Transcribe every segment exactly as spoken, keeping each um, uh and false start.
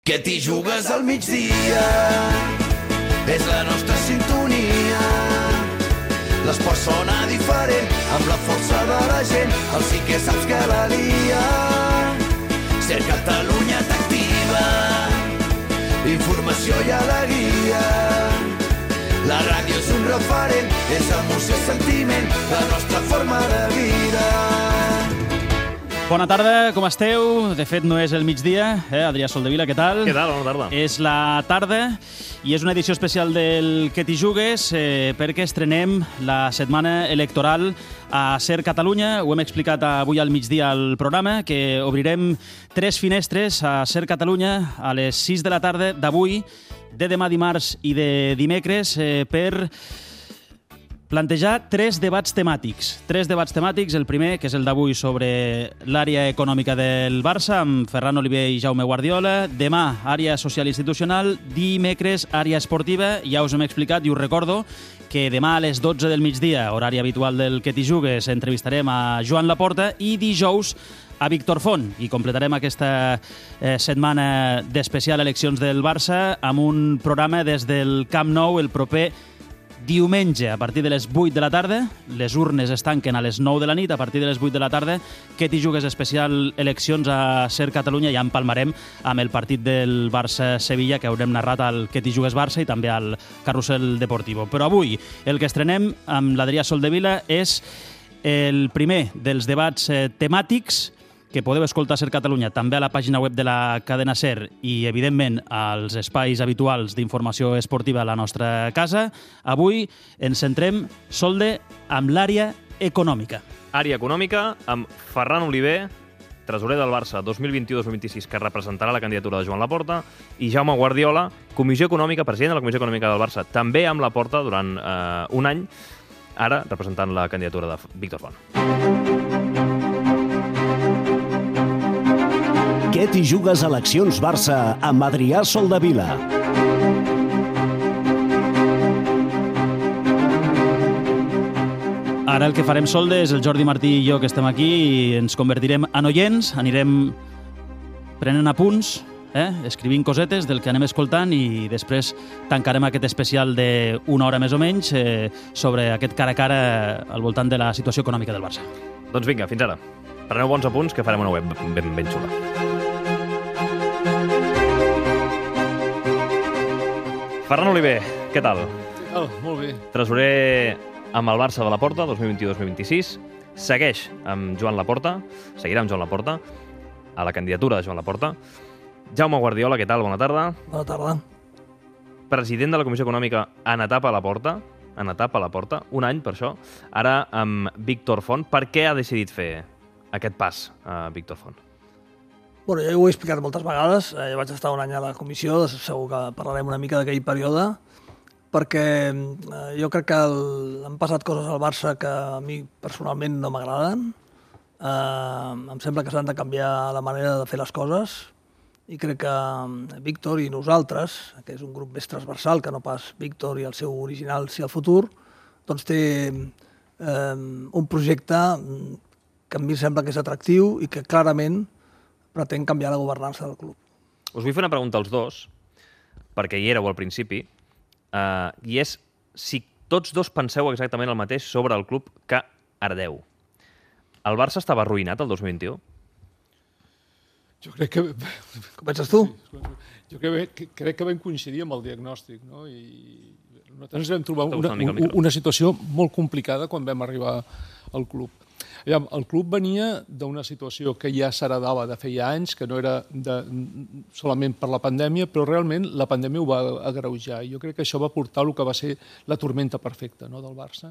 Que t'hi jugues al migdia, és la nostra sintonia. L'esport sona diferent, amb la força de la gent, el sí que saps que la lia. Ser Catalunya t'activa, informació i alegria. La ràdio és un referent, és emoció i sentiment, la nostra forma de vida. Bona tarda, com esteu? De fet, no és el migdia, eh? Adrià Soldevila, què tal? Què tal? Bona tarda. És la tarda i és una edició especial del Que t'hi jugues eh, perquè estrenem la setmana electoral a Ser Catalunya. Ho hem explicat avui al migdia al programa, que obrirem tres finestres a Ser Catalunya a les sis de la tarda d'avui, de demà dimarts i de dimecres eh, per plantejar tres debats temàtics. Tres debats temàtics. El primer, que és el d'avui, sobre l'àrea econòmica del Barça, amb Ferran Oliver i Jaume Guardiola. Demà, àrea social institucional. Dimecres, àrea esportiva. Ja us hem explicat i us recordo que demà a les dotze del migdia, horari habitual del Que t'hi jugues, entrevistarem a Joan Laporta i dijous a Víctor Font. I completarem aquesta eh, setmana d'especial eleccions del Barça amb un programa des del Camp Nou el proper diumenge, a partir de les vuit de la tarda. Les urnes es tanquen a les nou de la nit. A partir de les vuit de la tarda, Que t'hi jugues especial eleccions a Ser Catalunya. Ja empalmarem amb el partit del Barça-Sevilla, que haurem narrat al Que t'hi jugues Barça i també al Carrusel Deportivo. Però avui el que estrenem amb l'Adrià Soldevila és el primer dels debats eh, temàtics que podeu escoltar a Ser Catalunya també a la pàgina web de la cadena SER i, evidentment, als espais habituals d'informació esportiva a la nostra casa. Avui ens centrem, Solde, amb l'àrea econòmica. Àrea econòmica amb Ferran Oliver, tresorer del Barça dos mil vint-i-u dos mil vint-i-sis, que representarà la candidatura de Joan Laporta, i Jaume Guardiola, Comissió Econòmica, president de la Comissió Econòmica del Barça, també amb Laporta durant eh, un any, ara representant la candidatura de Víctor Font. Que t'hi jugues eleccions Barça amb Adrià Soldevila. Ara el que farem, Solde, és el Jordi Martí i jo que estem aquí i ens convertirem en oients, anirem prenent apunts, eh? escrivint cosetes del que anem escoltant i després tancarem aquest especial d'una hora més o menys eh, sobre aquest cara a cara al voltant de la situació econòmica del Barça. Doncs vinga, fins ara. Preneu bons apunts que farem una web ben, ben xula. Ferran Oliver, què tal? Oh, molt bé. Tresorer amb el Barça de Laporta, dos mil vint-i-u dos mil vint-i-sis. Segueix amb Joan Laporta, seguirà amb Joan Laporta, a la candidatura de Joan Laporta. Jaume Guardiola, què tal? Bona tarda. Bona tarda. President de la Comissió Econòmica en etapa a Laporta, en etapa a Laporta, un any per això. Ara amb Víctor Font. Per què ha decidit fer aquest pas a Víctor Font? Bueno, jo ho he explicat moltes vegades. Jo vaig estar un any a la comissió, segur que parlarem una mica d'aquell període, perquè jo crec que el, han passat coses al Barça que a mi personalment no m'agraden. Eh, em sembla que s'han de canviar la manera de fer les coses i crec que Víctor i nosaltres, que és un grup més transversal que no pas Víctor i el seu original si el futur, doncs té eh, un projecte que a mi em sembla que és atractiu i que clarament pretén canviar la governança del club. Us vull fer una pregunta als dos, perquè hi éreu al principi, eh, i és si tots dos penseu exactament el mateix sobre el club que heredeu. El Barça estava arruïnat el dos mil vint-i-u? Jo crec que... Comences tu? Sí, jo crec que, crec que vam coincidir amb el diagnòstic, no? I nosaltres ens vam trobar una, una, una situació molt complicada quan vam arribar al club. El club venia d'una situació que ja s'heredava de feia anys, que no era de, solament per la pandèmia, però realment la pandèmia ho va agreujar. Jo crec que això va portar el que va ser la tormenta perfecta, no, del Barça.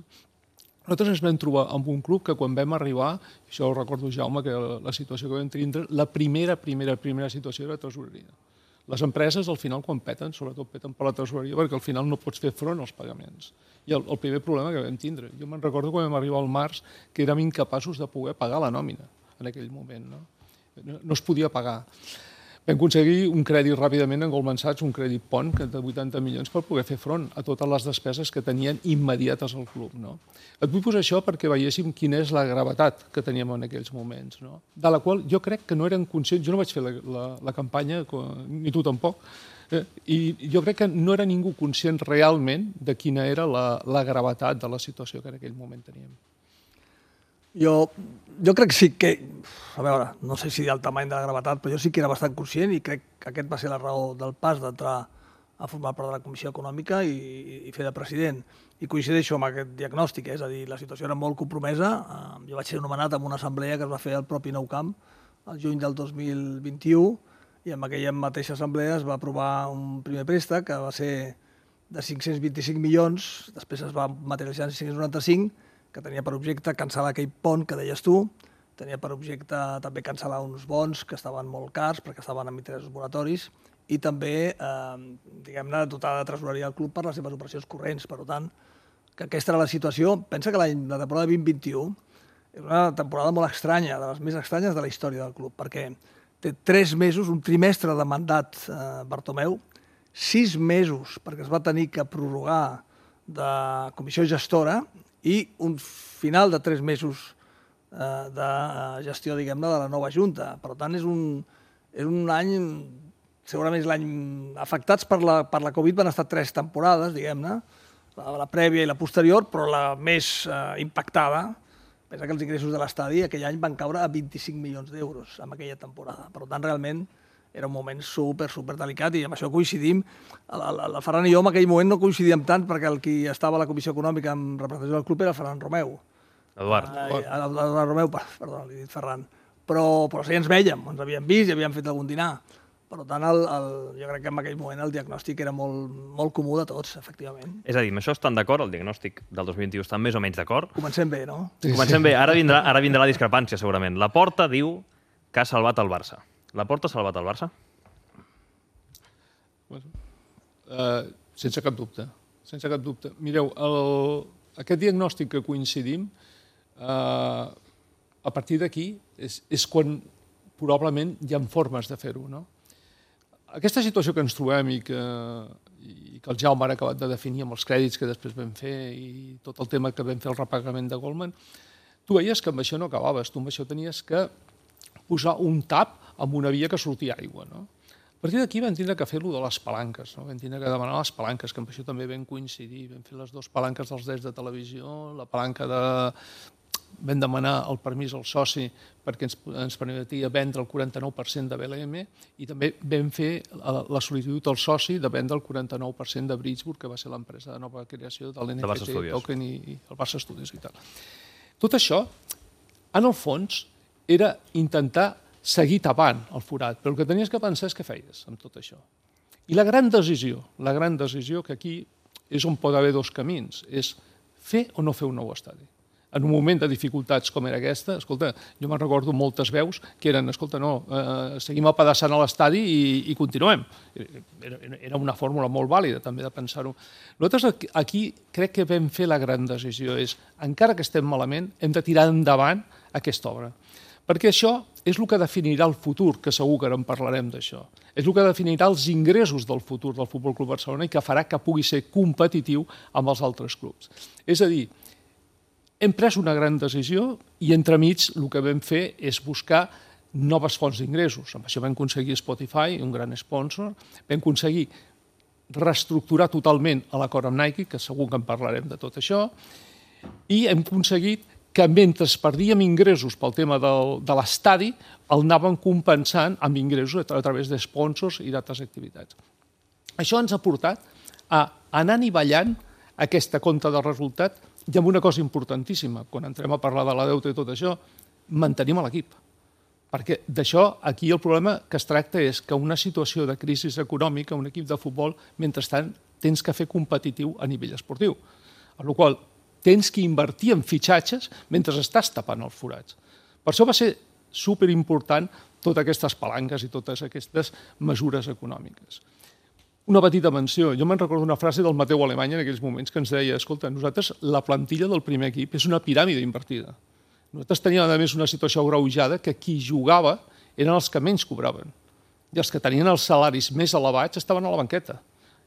Nosaltres ens vam trobar amb un club que quan vam arribar, això ho recordo, Jaume, que la situació que vam tindre, la primera, primera, primera situació era tresoreria. Les empreses, al final, quan peten, sobretot peten per la tresoreria, perquè al final no pots fer front als pagaments. I el, el primer problema que vam tindre, jo me'n recordo quan vam arribar al març, que érem incapaços de poder pagar la nòmina en aquell moment. No, no, no es podia pagar. Vam aconseguir un crèdit ràpidament en Goldman Sachs, un crèdit pont de vuitanta milions per poder fer front a totes les despeses que tenien immediates al club. No? Et vull posar això perquè veiéssim quina és la gravetat que teníem en aquells moments, no? De la qual jo crec que no eren conscients, jo no vaig fer la, la, la campanya, ni tu tampoc, eh, i jo crec que no era ningú conscient realment de quina era la, la gravetat de la situació que en aquell moment teníem. Jo, jo crec que sí que, a veure, no sé si del tamany de la gravetat, però jo sí que era bastant conscient i crec que aquest va ser la raó del pas d'entrar a formar part de la Comissió Econòmica i, i fer de president. I coincideixo amb aquest diagnòstic, eh? És a dir, la situació era molt compromesa. Jo vaig ser nomenat en una assemblea que es va fer al propi Nou Camp el juny del dos mil vint-i-u i en aquella mateixa assemblea es va aprovar un primer préstec que va ser de cinc-cents vint-i-cinc milions, després es va materialitzar en cinc-cents noranta-cinc, que tenia per objecte cancel·lar aquell pont que deies tu, tenia per objecte també cancel·lar uns bons que estaven molt cars perquè estaven amb interessos moratoris i també, eh, diguem-ne, dotar de tresoreria al club per les seves operacions corrents. Per tant, que aquesta era la situació. Pensa que l'any la temporada vint vint-i-u és una temporada molt estranya, de les més estranyes de la història del club, perquè té tres mesos, un trimestre de mandat eh, Bartomeu, sis mesos perquè es va tenir que prorrogar de comissió gestora i un final de tres mesos eh, de gestió, diguem-ne, de la nova Junta. Per tant, és un, és un any, segurament és l'any... Afectats per la, per la Covid van estar tres temporades, diguem-ne, la, la prèvia i la posterior, però la més eh, impactada. Pensa que els ingressos de l'estadi aquell any van caure a vint-i-cinc milions d'euros en aquella temporada. Per tant, realment, era un moment super, super delicat i amb això coincidim. El, el, el Ferran i jo en aquell moment no coincidíem tant perquè el qui estava a la Comissió Econòmica en representació del club era Ferran Romeu. Eduard. Eh, Eduard Romeu, perdó, li he dit Ferran. Però, però sí, ens vèiem, ens havíem vist i havíem fet algun dinar. Per tant, el, el, jo crec que en aquell moment el diagnòstic era molt, molt comú de tots, efectivament. És a dir, amb això estan d'acord, el diagnòstic del dos mil vint-i-u estan més o menys d'acord? Comencem bé, no? Sí, Comencem sí. bé, ara vindrà, ara vindrà la discrepància, segurament. La Porta diu que ha salvat el Barça. La Porta ha salvat el Barça? Bueno, uh, sense cap dubte, sense cap dubte. Mireu, el, aquest diagnòstic que coincidim, uh, a partir d'aquí és, és quan probablement hi ha formes de fer-ho, no? Aquesta situació que ens trobem i que, i que el Jaume ha acabat de definir amb els crèdits que després vam fer i tot el tema que vam fer el repagament de Goldman, tu veies que amb això no acabaves, tu amb això tenies que posar un tap amb una via que sortia aigua, no? A partir d'aquí vam tindre que fer-lo de les palanques, no? Vam tindre que demanar les palanques, que amb això també vam coincidir. Vam fer les dues palanques dels drets de televisió, la palanca de... Vam demanar el permís al soci perquè ens, ens permetia vendre el quaranta-nou per cent de B L M i també vam fer la, la sol·licitud al soci de vendre el quaranta-nou per cent de Bridgeburg, que va ser l'empresa de nova creació de l'N F T, Token i, i el Barça Studios i tal. Tot això, en el fons, era intentar seguir tapant el forat, però el que tenies que pensar és què feies amb tot això. I la gran decisió, la gran decisió que aquí és on pot haver dos camins, és fer o no fer un nou estadi. En un moment de dificultats com era aquesta, escolta, jo me'n recordo moltes veus que eren, escolta, no, eh, seguim apedaçant a l'estadi i, i continuem. Era, era una fórmula molt vàlida, també, de pensar-ho. Nosaltres aquí crec que vam fer la gran decisió, és, encara que estem malament, hem de tirar endavant aquesta obra. Perquè això és el que definirà el futur, que segur que ara en parlarem d'això. És el que definirà els ingressos del futur del Futbol Club Barcelona i que farà que pugui ser competitiu amb els altres clubs. És a dir, hem pres una gran decisió i entremig el que vam fer és buscar noves fonts d'ingressos. Amb això vam aconseguir Spotify, un gran sponsor, vam aconseguir reestructurar totalment l'acord amb Nike, que segur que en parlarem de tot això, i hem aconseguit que mentre perdíem ingressos pel tema del, de l'estadi, el anàvem compensant amb ingressos a través de sponsors i d'altres activitats. Això ens ha portat a anar anivellant aquesta compta de resultat i amb una cosa importantíssima, quan entrem a parlar de la deuta i tot això, mantenim l'equip. Perquè d'això, aquí el problema que es tracta és que una situació de crisi econòmica, un equip de futbol, mentrestant, tens que fer competitiu a nivell esportiu. A la qual tens que invertir en fitxatges mentre estàs tapant els forats. Per això va ser superimportant totes aquestes palanques i totes aquestes mesures econòmiques. Una petita menció. Jo me'n recordo una frase del Mateu Alemany en aquells moments que ens deia, escolta, nosaltres la plantilla del primer equip és una piràmide invertida. Nosaltres teníem, a més, una situació agreujada que qui jugava eren els que menys cobraven. i els que tenien els salaris més elevats estaven a la banqueta.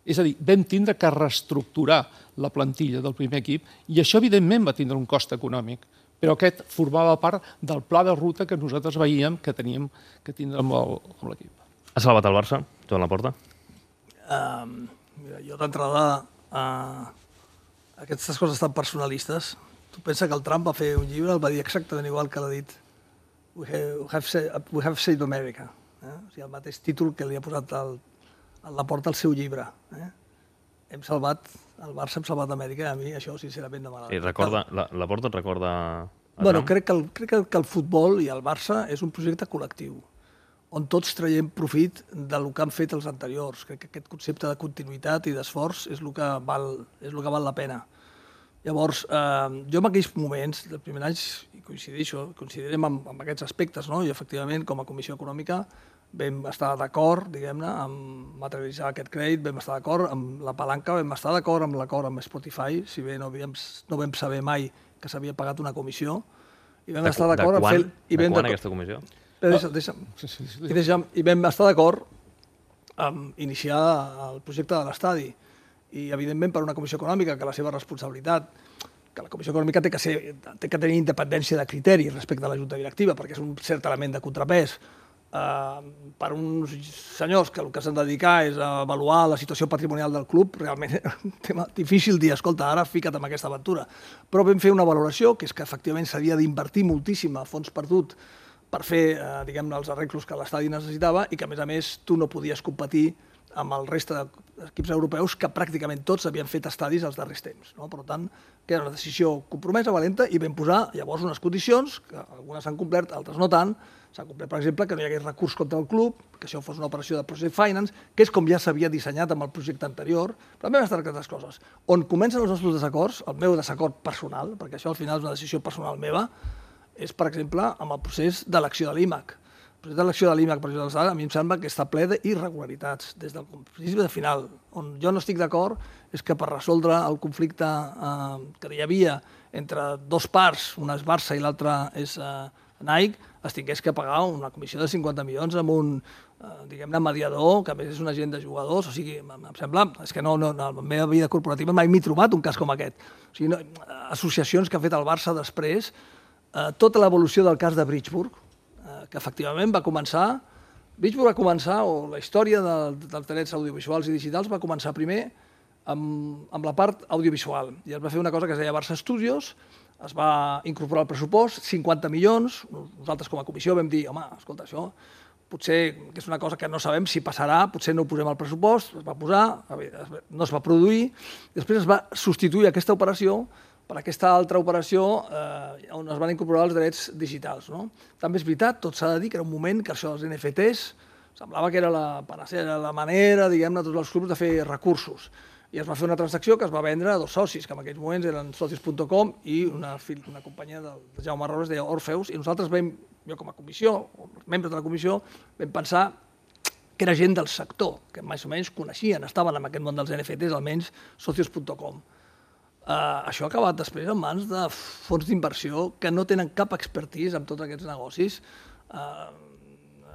És a dir, vam tindre que reestructurar la plantilla del primer equip i això, evidentment, va tindre un cost econòmic, però aquest formava part del pla de ruta que nosaltres veiem que teníem que tindre amb l'equip. Ha salvat el Barça, Joan Laporta? Uh, mira, jo d'entrada, uh, aquestes coses tan personalistes, tu pensa que el Trump va fer un llibre, el va dir exactament igual que l'ha dit We have, have said, we have saved America. Eh? O sigui, el mateix títol que li ha posat el a Laporta al seu llibre. Eh? Hem salvat, el Barça hem salvat Amèrica, a mi això sincerament no m'agrada. Sí, recorda, la, Laporta et recorda... Bueno, crec que, el, crec que el futbol i el Barça és un projecte col·lectiu, on tots traiem profit del que han fet els anteriors. Crec que aquest concepte de continuïtat i d'esforç és el que val, és el que val la pena. Llavors, eh, jo en aquells moments, dels primers anys, i coincideixo, coincidirem amb, amb aquests aspectes, no? I efectivament, com a Comissió Econòmica, vam estar d'acord, diguem-ne, amb materialitzar aquest crèdit, vam estar d'acord amb la palanca, vam estar d'acord amb l'acord amb Spotify, si bé no, havíem, no vam saber mai que s'havia pagat una comissió, i vam de, estar d'acord amb fer... I de quan aquesta comissió? Deixa'm, deixa'm. I, deixa'm, I vam estar d'acord amb iniciar el projecte de l'estadi. I, evidentment, per una comissió econòmica, que la seva responsabilitat, que la comissió econòmica té que, ser, té que tenir independència de criteri respecte a la junta directiva, perquè és un cert element de contrapès, Uh, per uns senyors que el que s'han de dedicar és a avaluar la situació patrimonial del club, realment és un tema difícil dir, escolta, ara fica't en aquesta aventura. Però vam fer una valoració, que és que efectivament s'havia d'invertir moltíssim a fons perdut per fer, uh, diguem-ne, els arreglos que l'estadi necessitava i que, a més a més, tu no podies competir amb el reste d'equips europeus que pràcticament tots havien fet estadis els darrers temps. No? Per tant, que era una decisió compromesa, valenta, i vam posar llavors unes condicions, que algunes s'han complert, altres no tant. S'ha complert, per exemple, que no hi hagués recurs contra el club, que això fos una operació de project finance, que és com ja s'havia dissenyat amb el projecte anterior, però també van estar aquestes coses. On comencen els nostres desacords, el meu desacord personal, perquè això al final és una decisió personal meva, és, per exemple, amb el procés d'elecció de l'I M A C. El procés d'elecció de l'I M A C, per exemple, a mi em sembla que està ple d'irregularitats, des del principi de final. On jo no estic d'acord és que per resoldre el conflicte eh, que hi havia entre dos parts, una és Barça i l'altra és eh, Nike, es tingués que pagar una comissió de cinquanta milions amb un, eh, diguem-ne, mediador, que a més és un agent de jugadors, o sigui, em sembla, és que no, no, en la meva vida corporativa mai m'he trobat un cas com aquest. O sigui, no, associacions que ha fet el Barça després, eh, tota l'evolució del cas de Bridgeburg, eh, que efectivament va començar, Bridgeburg va començar, o la història de, dels drets audiovisuals i digitals va començar primer amb, amb la part audiovisual, i es va fer una cosa que es deia Barça Studios, es va incorporar al pressupost, cinquanta milions, nosaltres com a comissió vam dir, home, escolta, això potser que és una cosa que no sabem si passarà, potser no ho posem al pressupost, es va posar, no es va produir, després es va substituir aquesta operació per aquesta altra operació eh, on es van incorporar els drets digitals. No? També és veritat, tot s'ha de dir que era un moment que això dels N F Ts semblava que era la panacea, era la manera, diguem-ne, tots els clubs de fer recursos. I es va fer una transacció que es va vendre a dos socis, que en aquells moments eren socios punt com i una, una companyia del Jaume Robles, deia Orfeus, i nosaltres vam, jo com a comissió, o els membres de la comissió, vam pensar que era gent del sector, que més o menys coneixien, estaven en aquest món dels N F Ts, almenys socios punt com. Uh, això ha acabat després en mans de fons d'inversió que no tenen cap expertise en tots aquests negocis. Uh,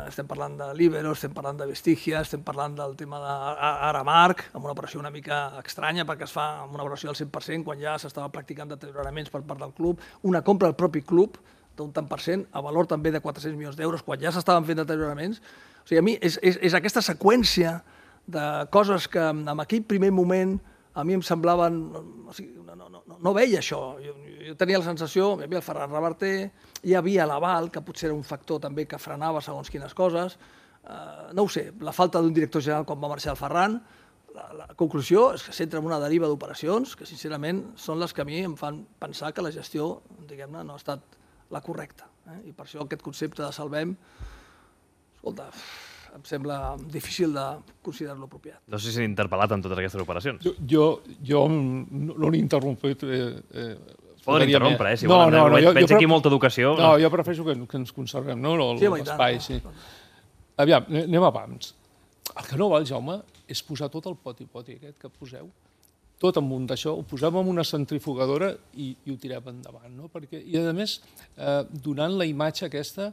estem parlant de Libero, estem parlant de Vestigia, estem parlant del tema d'Aramark, amb una operació una mica estranya perquè es fa amb una operació del cent per cent quan ja s'estava practicant deterioraments per part del club, una compra del propi club d'un tant per cent, a valor també de quatre-cents milions d'euros, quan ja s'estaven fent deterioraments. O sigui, a mi és, és, és aquesta seqüència de coses que en aquell primer moment a mi em semblaven... O sigui, no, no, no, no veia això. Jo, jo tenia la sensació, hi havia el Ferran Reverter, hi havia l'Aval, que potser era un factor també que frenava segons quines coses. Uh, no ho sé, la falta d'un director general quan va marxar el Ferran. La, la conclusió és que s'entra en una deriva d'operacions que, sincerament, són les que a mi em fan pensar que la gestió, diguem-ne, no ha estat la correcta. Eh? I per això aquest concepte de salvem, escolta, em sembla difícil de considerar-lo apropiat. No sé si s'ha interpel·lat en totes aquestes operacions. Jo, jo, jo no l'he interromput. Eh, eh, es poden interrompre, eh? Si no, volen, no, no, jo, veig jo, aquí molta educació. No, jo prefereixo que, que ens conservem, no? L'espai, sí. Aviam, anem a pams. El que no val, Jaume, és posar tot el poti-poti aquest que poseu, tot amunt d'això, ho posem en una centrifugadora i, i ho tirem endavant, no? Perquè, i a més, eh, donant la imatge aquesta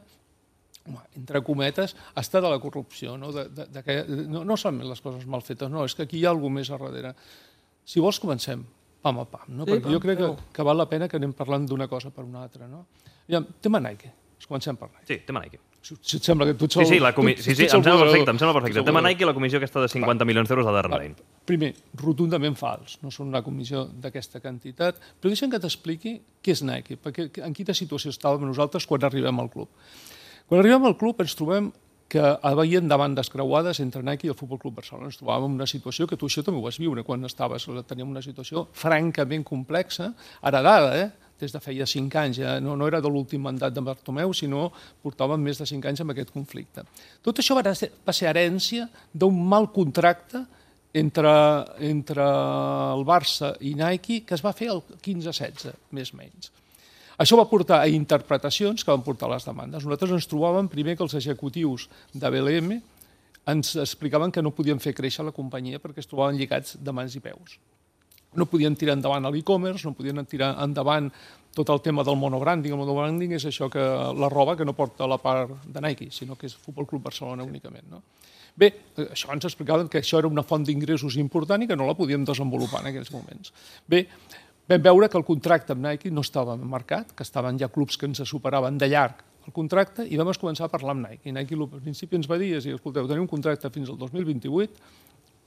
entre cometes, està de la corrupció, no, de, de, de que, no, no solament les coses mal fetes, no, és que aquí hi ha alguna més a darrere. Si vols, comencem, pam a pam, no? Sí, perquè jo crec que, que val la pena que anem parlant d'una cosa per una altra, no? Ja, tema Nike, comencem per Nike. Sí, tema Nike. Si, si et sembla que tu ets el... Sí, sí, la comi... tu, sí, sí em sembla perfecte, em sembla perfecte. Tema Nike i la comissió aquesta de cinquanta milions d'euros de Darren Lane. Primer, rotundament fals, no són una comissió d'aquesta quantitat, però deixa'm que t'expliqui què és Nike, perquè en quina situació estàvem nosaltres quan arribem al club. Quan arribem al club ens trobem que havien demandes creuades entre Nike i el Futbol Club Barcelona. Ens trobàvem en una situació que tu això també ho vas viure quan estaves, teníem una situació francament complexa, heredada, eh? des de feia cinc anys, ja no, no era de l'últim mandat de Bartomeu, sinó portàvem més de cinc anys amb aquest conflicte. Tot això va ser, va ser herència d'un mal contracte entre, entre el Barça i Nike que es va fer el quinze setze, més o menys. Això va portar a interpretacions que van portar les demandes. Nosaltres ens trobàvem primer que els executius de B L M ens explicaven que no podien fer créixer la companyia perquè es trobaven lligats de mans i peus. No podien tirar endavant l'e-commerce, no podien tirar endavant tot el tema del monobranding. El monobranding és això que la roba que no porta la part de Nike, sinó que és Futbol Club Barcelona únicament. No? Bé, això ens explicaven que això era una font d'ingressos important i que no la podíem desenvolupar en aquells moments. Bé, vam veure que el contracte amb Nike no estava marcat, que estaven ja clubs que ens superaven de llarg el contracte i vam començar a parlar amb Nike. I Nike al principi ens va dir, escolteu, tenim un contracte fins al dos mil vint-i-vuit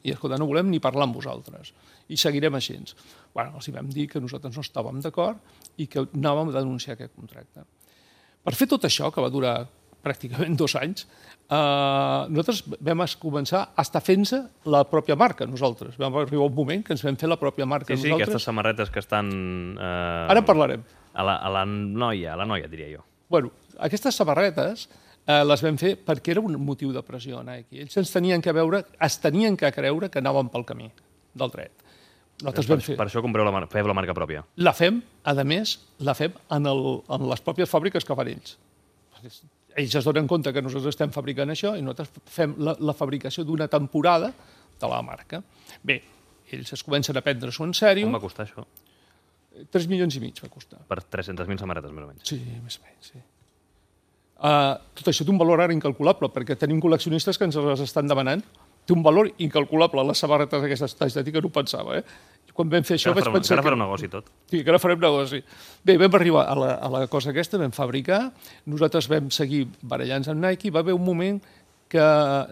i escolta, no volem ni parlar amb vosaltres i seguirem així. Bueno, els vam dir que nosaltres no estàvem d'acord i que anàvem a denunciar aquest contracte. Per fer tot això, que va durar pràcticament dos anys, eh, nosaltres vam començar a estar fent-se la pròpia marca, nosaltres. Vam arribar un moment que ens vam fer la pròpia marca sí, sí, nosaltres. Aquestes samarretes que estan... Eh, Ara en parlarem. A la, a la noia, a la noia, diria jo. Bueno, aquestes samarretes eh, les vam fer perquè era un motiu de pressió a Nike. Ells ens tenien que veure, es tenien que creure que anàvem pel camí del dret. Nosaltres per, fer... per això compreu la, mar... feu la marca pròpia. La fem, a més, la fem en, el, en les pròpies fàbriques que fan ells. Ells es donen compte que nosaltres estem fabricant això i nosaltres fem la, la fabricació d'una temporada de la marca. Bé, ells es comencen a prendre-s'ho en sèrio. Com va costar això? tres milions i mig va costar. Per tres-centes mil samarretes, més o menys. Sí, més o menys, sí. Uh, tot això té un valor ara incalculable, perquè tenim col·leccionistes que ens les estan demanant. Té un valor incalculable, les samarretes d'aquestes estètica no ho pensava, eh? Quan vam fer això vaig pensar... Encara farem negoci tot. Sí, que ara farem negoci. Bé, vam arribar a la, a la cosa aquesta, vam fabricar, nosaltres vam seguir barallant amb Nike, va haver un moment que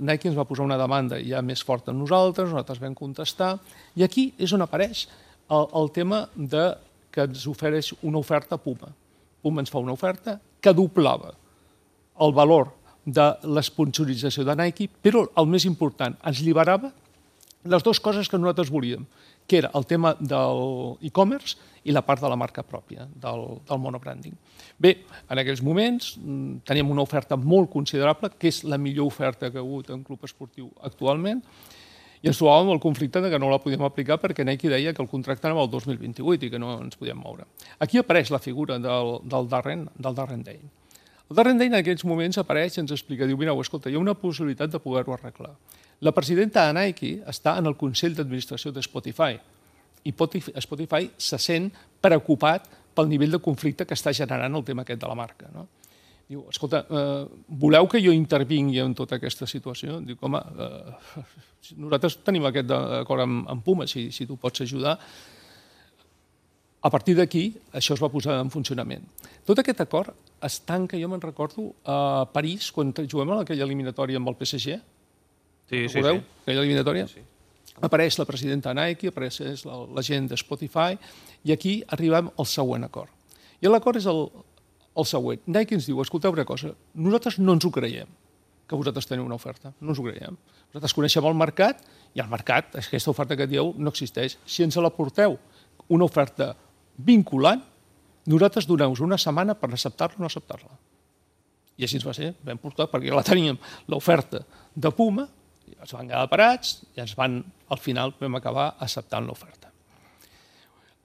Nike ens va posar una demanda ja més forta en nosaltres, nosaltres vam contestar, i aquí és on apareix el, el tema de que ens ofereix una oferta Puma. Puma ens fa una oferta que doblava el valor de l'esponsorització de Nike, però el més important, ens liberava les dues coses que nosaltres volíem, que era el tema de l'e-commerce i la part de la marca pròpia, del, del monobranding. Bé, en aquells moments teníem una oferta molt considerable, que és la millor oferta que ha hagut en club esportiu actualment, i ens trobàvem el conflicte de que no la podíem aplicar perquè Nike deia que el contracte anava al dos mil vint-i-vuit i que no ens podíem moure. Aquí apareix la figura del, del Darren, del Darren Dane. El Darren Dane en aquells moments apareix i ens explica, diu, mireu, escolta, hi ha una possibilitat de poder-ho arreglar. La presidenta de Nike està en el Consell d'Administració de Spotify i Spotify se sent preocupat pel nivell de conflicte que està generant el tema aquest de la marca. No? Diu, escolta, eh, voleu que jo intervingui en tota aquesta situació? Diu, home, eh, nosaltres tenim aquest acord amb, amb Puma, si, si tu pots ajudar. A partir d'aquí, això es va posar en funcionament. Tot aquest acord es tanca, jo me'n recordo, a París, quan juguem a aquella eliminatòria amb el P S G. Sí, sí, recordeu? sí. Aquella eliminatòria. Sí, sí. Apareix la presidenta de Nike, apareix la, la gent de Spotify, i aquí arribem al següent acord. I l'acord és el, el següent. Nike ens diu, escolteu una cosa, nosaltres no ens ho creiem, que vosaltres teniu una oferta. No ens ho creiem. Nosaltres coneixem el mercat, i el mercat, aquesta oferta que dieu, no existeix. Si ens la porteu una oferta vinculant, nosaltres doneu-vos una setmana per acceptar-la o no acceptar-la. I així ens va ser, vam portar, perquè ja la teníem, l'oferta de Puma, i ens van quedar parats i ens van, al final vam acabar acceptant l'oferta.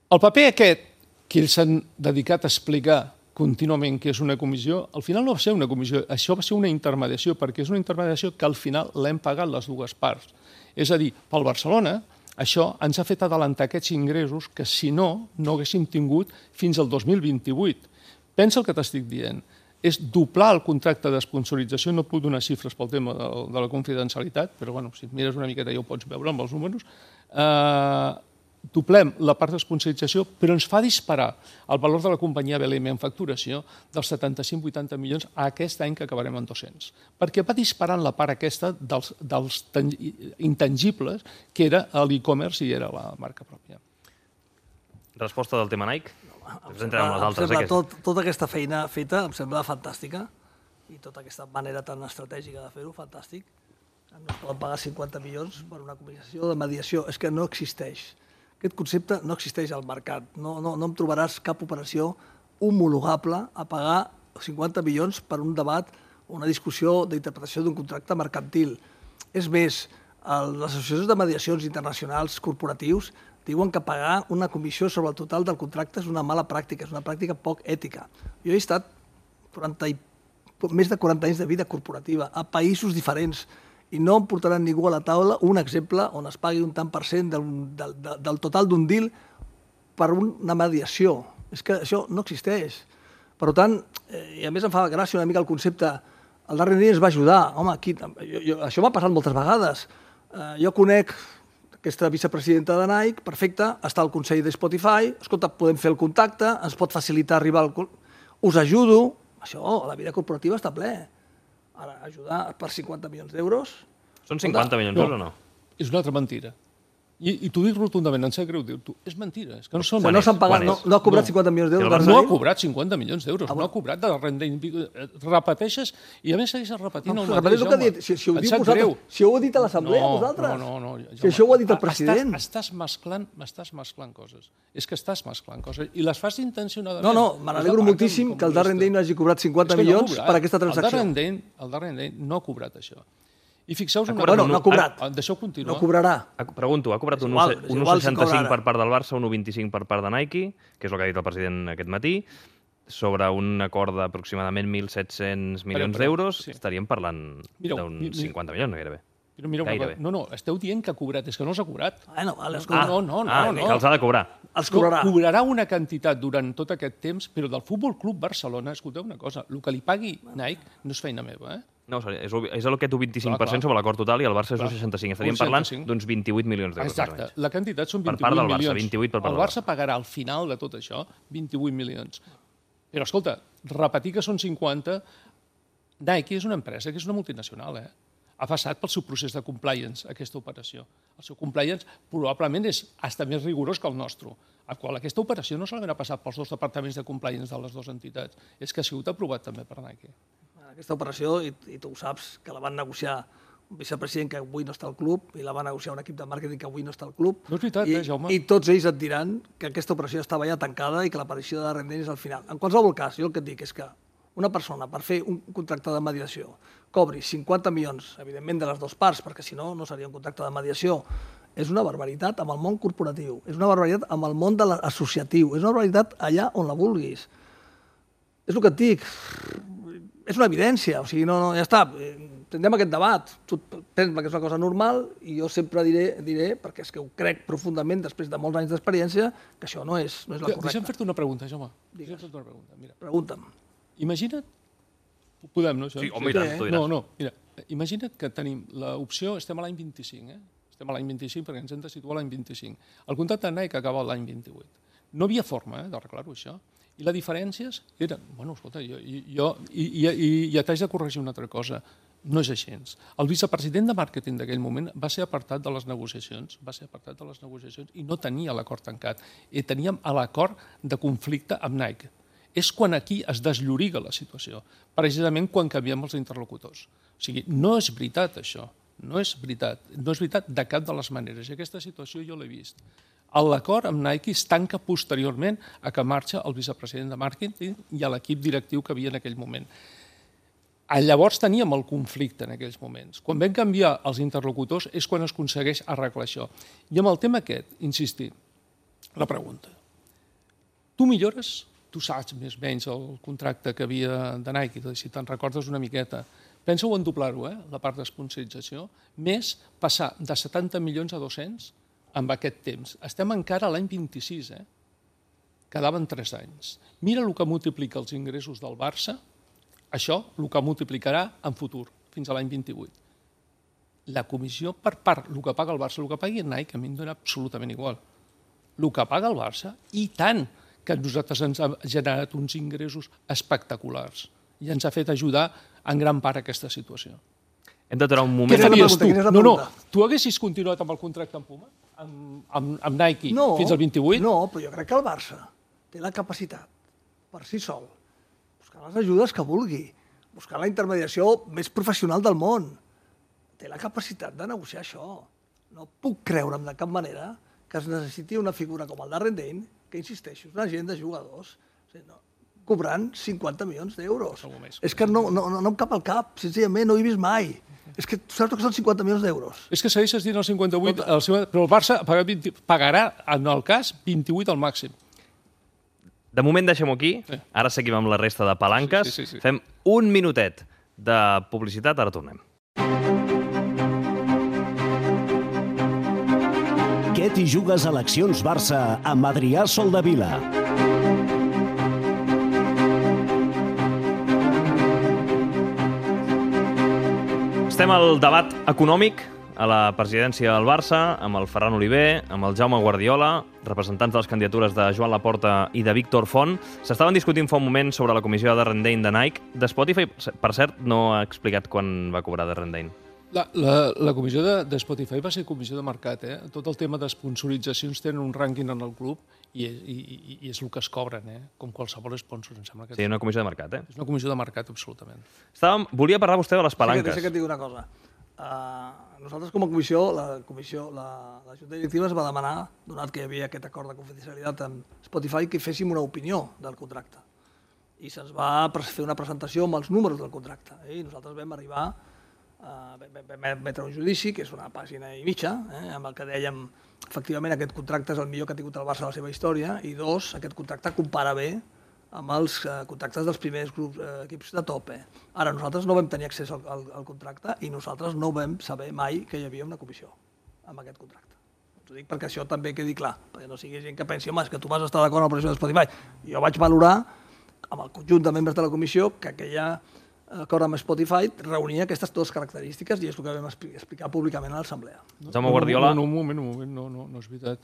El paper aquest, que ells s'han dedicat a explicar contínuament que és una comissió, al final no va ser una comissió, això va ser una intermediació, perquè és una intermediació que al final l'hem pagat les dues parts. És a dir, pel Barcelona, això ens ha fet adelantar aquests ingressos que, si no, no haguéssim tingut fins al dos mil vint-i-vuit. Pensa el que t'estic dient. és doblar el contracte d'esponsorització, no puc donar xifres pel tema de, de la confidencialitat, però bueno, si et mires una miqueta ja ho pots veure amb els números, eh, doblem la part d'esponsorització, però ens fa disparar el valor de la companyia B L M en facturació dels setanta-cinc a vuitanta milions a aquest any que acabarem en dos-cents. Perquè va disparant la part aquesta dels, dels intangibles que era l'e-commerce i era la marca pròpia. Resposta del tema Nike? Em sembla, em sembla tot, tota aquesta feina feta em sembla fantàstica i tota aquesta manera tan estratègica de fer-ho, fantàstic. No es poden pagar cinquanta milions per una comissió de mediació. És que no existeix. Aquest concepte no existeix al mercat. No, no, no em trobaràs cap operació homologable a pagar cinquanta milions per un debat o una discussió d'interpretació d'un contracte mercantil. És més, les associacions de mediacions internacionals corporatius diuen que pagar una comissió sobre el total del contracte és una mala pràctica, és una pràctica poc ètica. Jo he estat quaranta i, més de quaranta anys de vida corporativa a països diferents i no em portaran ningú a la taula un exemple on es pagui un tant per cent del, del, del total d'un deal per una mediació. És que això no existeix. Per tant, eh, i a més em fa gràcia una mica el concepte, el darrer dia ens va ajudar. Home, aquí, jo, jo, això m'ha passat moltes vegades. Eh, jo conec aquesta vicepresidenta de Nike, perfecte, està al Consell de Spotify, escolta, podem fer el contacte, ens pot facilitar arribar al... Us ajudo, això, la vida corporativa està ple. Ara, ajudar per cinquanta milions d'euros... Són cinquanta milions d'euros o no? És una altra mentira. I, i t'ho dic rotundament, em sap greu dir-t'ho. És mentira. És que no són... O sigui, no s'han pagat, no, no ha cobrat no. cinquanta milions d'euros. No ha cobrat cinquanta milions d'euros, ah, no ha cobrat de renda... Repeteixes i a més segueixes repetint no, el mateix, home. Que dit, si, si, ho diu vosaltres, si ho heu dit a l'assemblea, no, vosaltres. No, no, no. Si això ho ha dit el president. Estàs, estàs, mesclant, estàs mesclant coses. És que estàs mesclant coses. I les fas intencionadament. No, no, me n'alegro moltíssim que el darrer any no hagi cobrat cinquanta milions per aquesta transacció. El darrer any no ha cobrat això. I fixeu-vos una cosa... Bueno, no ha cobrat. Deixeu continuar. No cobrarà. Pregunto, ha cobrat un un coma seixanta-cinc per part del Barça, un un coma vint-i-cinc per part de Nike, que és el que ha dit el president aquest matí, sobre un acord d'aproximadament mil set-cents milions d'euros, estaríem parlant d'uns cinquanta milions, gairebé. Però mira, no, no, esteu dient que ha cobrat, és que no s'ha cobrat. Bueno, vale, ah, no, no, no, ah, no. Que els ha de cobrar. Els cobrarà. No, cobrarà una quantitat durant tot aquest temps, però del Futbol Club Barcelona, escolteu una cosa, el que li pagui Nike no és feina meva, eh? No, és, és aquest vint-i-cinc per cent sobre l'acord total i el Barça és un seixanta-cinc. Estaríem parlant d'uns vint-i-vuit milions d'euros. Exacte, la quantitat són vint-i-vuit milions. Per part del Barça, vint-i-vuit per part del Barça. El Barça pagarà al final de tot això vint-i-vuit milions. Però, escolta, repetir que són cinquanta... Nike és una empresa que és una multinacional, eh? Ha passat pel seu procés de compliance, aquesta operació. El seu compliance probablement és hasta més rigorós que el nostre, al qual aquesta operació no solament ha passat pels dos departaments de compliance de les dues entitats, és que ha sigut aprovat també per Nike. Aquesta operació, i, i tu ho saps, que la van negociar un vicepresident que avui no està al club i la va negociar un equip de màrqueting que avui no està al club. No és veritat, I, eh, Jaume? I tots ells et diran que aquesta operació estava ja tancada i que l'aparició de Rendent és al final. En qualsevol cas, jo el que et dic és que una persona, per fer un contracte de mediació, cobri cinquanta milions, evidentment de les dues parts, perquè si no, no seria un contracte de mediació, és una barbaritat amb el món corporatiu, és una barbaritat amb el món de l'associatiu, és una barbaritat allà on la vulguis. És el que et dic, és una evidència, o sigui, no, no, ja està, tindrem aquest debat, tu penses que és una cosa normal i jo sempre diré, diré perquè és que ho crec profundament després de molts anys d'experiència, que això no és, no és la correcta. Deixa'm fer-te una pregunta, Jaume. Deixa'm fer-te una pregunta. Mira. Pregunta'm. Imagina't, podem, no? Això? Sí, home, i tant, tu diràs. No, no, mira, imagina't que tenim l'opció, estem a l'any vint-i-cinc, eh? Estem a l'any vint-i-cinc perquè ens hem de situar a l'any vint-i-cinc. El contracte de Nike acaba l'any vint-i-vuit. No havia forma eh, d'arreglar-ho, això. I les diferències eren... Bueno, escolta, jo, jo i, i, i, i t'haig de corregir una altra cosa. No és així. El vicepresident de màrqueting d'aquell moment va ser apartat de les negociacions, va ser apartat de les negociacions i no tenia l'acord tancat. I teníem l'acord de conflicte amb Nike. És quan aquí es deslloriga la situació, precisament quan canviem els interlocutors. O sigui, no és veritat això, no és veritat, no és veritat de cap de les maneres, i aquesta situació jo l'he vist. L'acord amb Nike es tanca posteriorment a que marxa el vicepresident de màrqueting i a l'equip directiu que havia en aquell moment. Llavors teníem el conflicte en aquells moments. Quan vam canviar els interlocutors és quan es aconsegueix arreglar això. I amb el tema aquest, insistir, la pregunta. Tu millores... Tu saps més o menys el contracte que havia de Nike, si te'n recordes una miqueta. Pensa-ho en doblar-ho, eh, la part d'esponsorització, més passar de setanta milions a dos-cents amb aquest temps. Estem encara a l'any vint-i-sis, eh? Quedaven tres anys. Mira el que multiplica els ingressos del Barça això el que multiplicarà en futur, fins a l'any vint-i-vuit. La comissió per part, el que paga el Barça, el que pagui el Nike, a mi em dona absolutament igual. El que paga el Barça, i tant que a nosaltres ens ha generat uns ingressos espectaculars i ens ha fet ajudar en gran part a aquesta situació. Hem d'aturar un moment... Què faries tu? No, no, tu haguessis continuat amb el contracte amb Puma, amb, amb, amb Nike, no, fins al vint-i-vuit? No, però jo crec que el Barça té la capacitat, per si sol, buscar les ajudes que vulgui, buscar la intermediació més professional del món. Té la capacitat de negociar això. No puc creure'm de cap manera que es necessiti una figura com el Darren Dane, que insisteixo, és una gent de jugadors, o sigui, no, cobrant cinquanta milions d'euros. És que no, no, no em cap al cap, senzillament no ho he vist mai. És que saps que són cinquanta milions d'euros. És que segueixes dient el cinquanta-vuit, el seu, però el Barça pagarà, vint, pagarà, en el cas, vint-i-vuit al màxim. De moment deixem-ho aquí, ara seguim amb la resta de palanques. Sí, sí, sí, sí. Fem un minutet de publicitat, ara tornem. Què t'hi jugues a Eleccions Barça amb Adrià Soldevila? Estem al debat econòmic a la presidència del Barça, amb el Ferran Oliver, amb el Jaume Guardiola, representants de les candidatures de Joan Laporta i de Víctor Font. S'estaven discutint fa un moment sobre la comissió de Rendane de Nike. De Spotify, per cert, no ha explicat quan va cobrar de Rendane. La, la, la comissió de, de Spotify va ser comissió de mercat. Eh? Tot el tema d'esponsoritzacions tenen un rànquing en el club i, i, i, i és el que es cobren, eh? Com qualsevol sponsor. Em sembla que sí, una comissió de mercat, eh? És una comissió de mercat, absolutament. Estàvem, volia parlar vostè de les palanques. Sí que, sí que et dic una cosa. Uh, nosaltres com a comissió, la comissió, la, la Junta Directiva es va demanar, donat que hi havia aquest acord de confidencialitat amb Spotify, que féssim una opinió del contracte. I se'ns va fer una presentació amb els números del contracte. Eh? I nosaltres vam arribar Uh, vam emetre un judici, que és una pàgina i mitja, eh, amb el que dèiem efectivament aquest contracte és el millor que ha tingut el Barça a la seva història, i dos, aquest contracte compara bé amb els uh, contractes dels primers grups, uh, equips de top. Eh. Ara, nosaltres no vam tenir accés al, al, al contracte i nosaltres no vam saber mai que hi havia una comissió amb aquest contracte. T'ho dic perquè això també quedi clar, perquè no sigui gent que pensi, home, és que tu vas estar d'acord amb la pressió de Spotify. Jo vaig valorar, amb el conjunt de membres de la comissió, que aquella acord amb Spotify reunia aquestes dues característiques i és el que vam explicar públicament a l'Assemblea. Jaume Guardiola... No, no, un moment, un moment, no, no, no és veritat.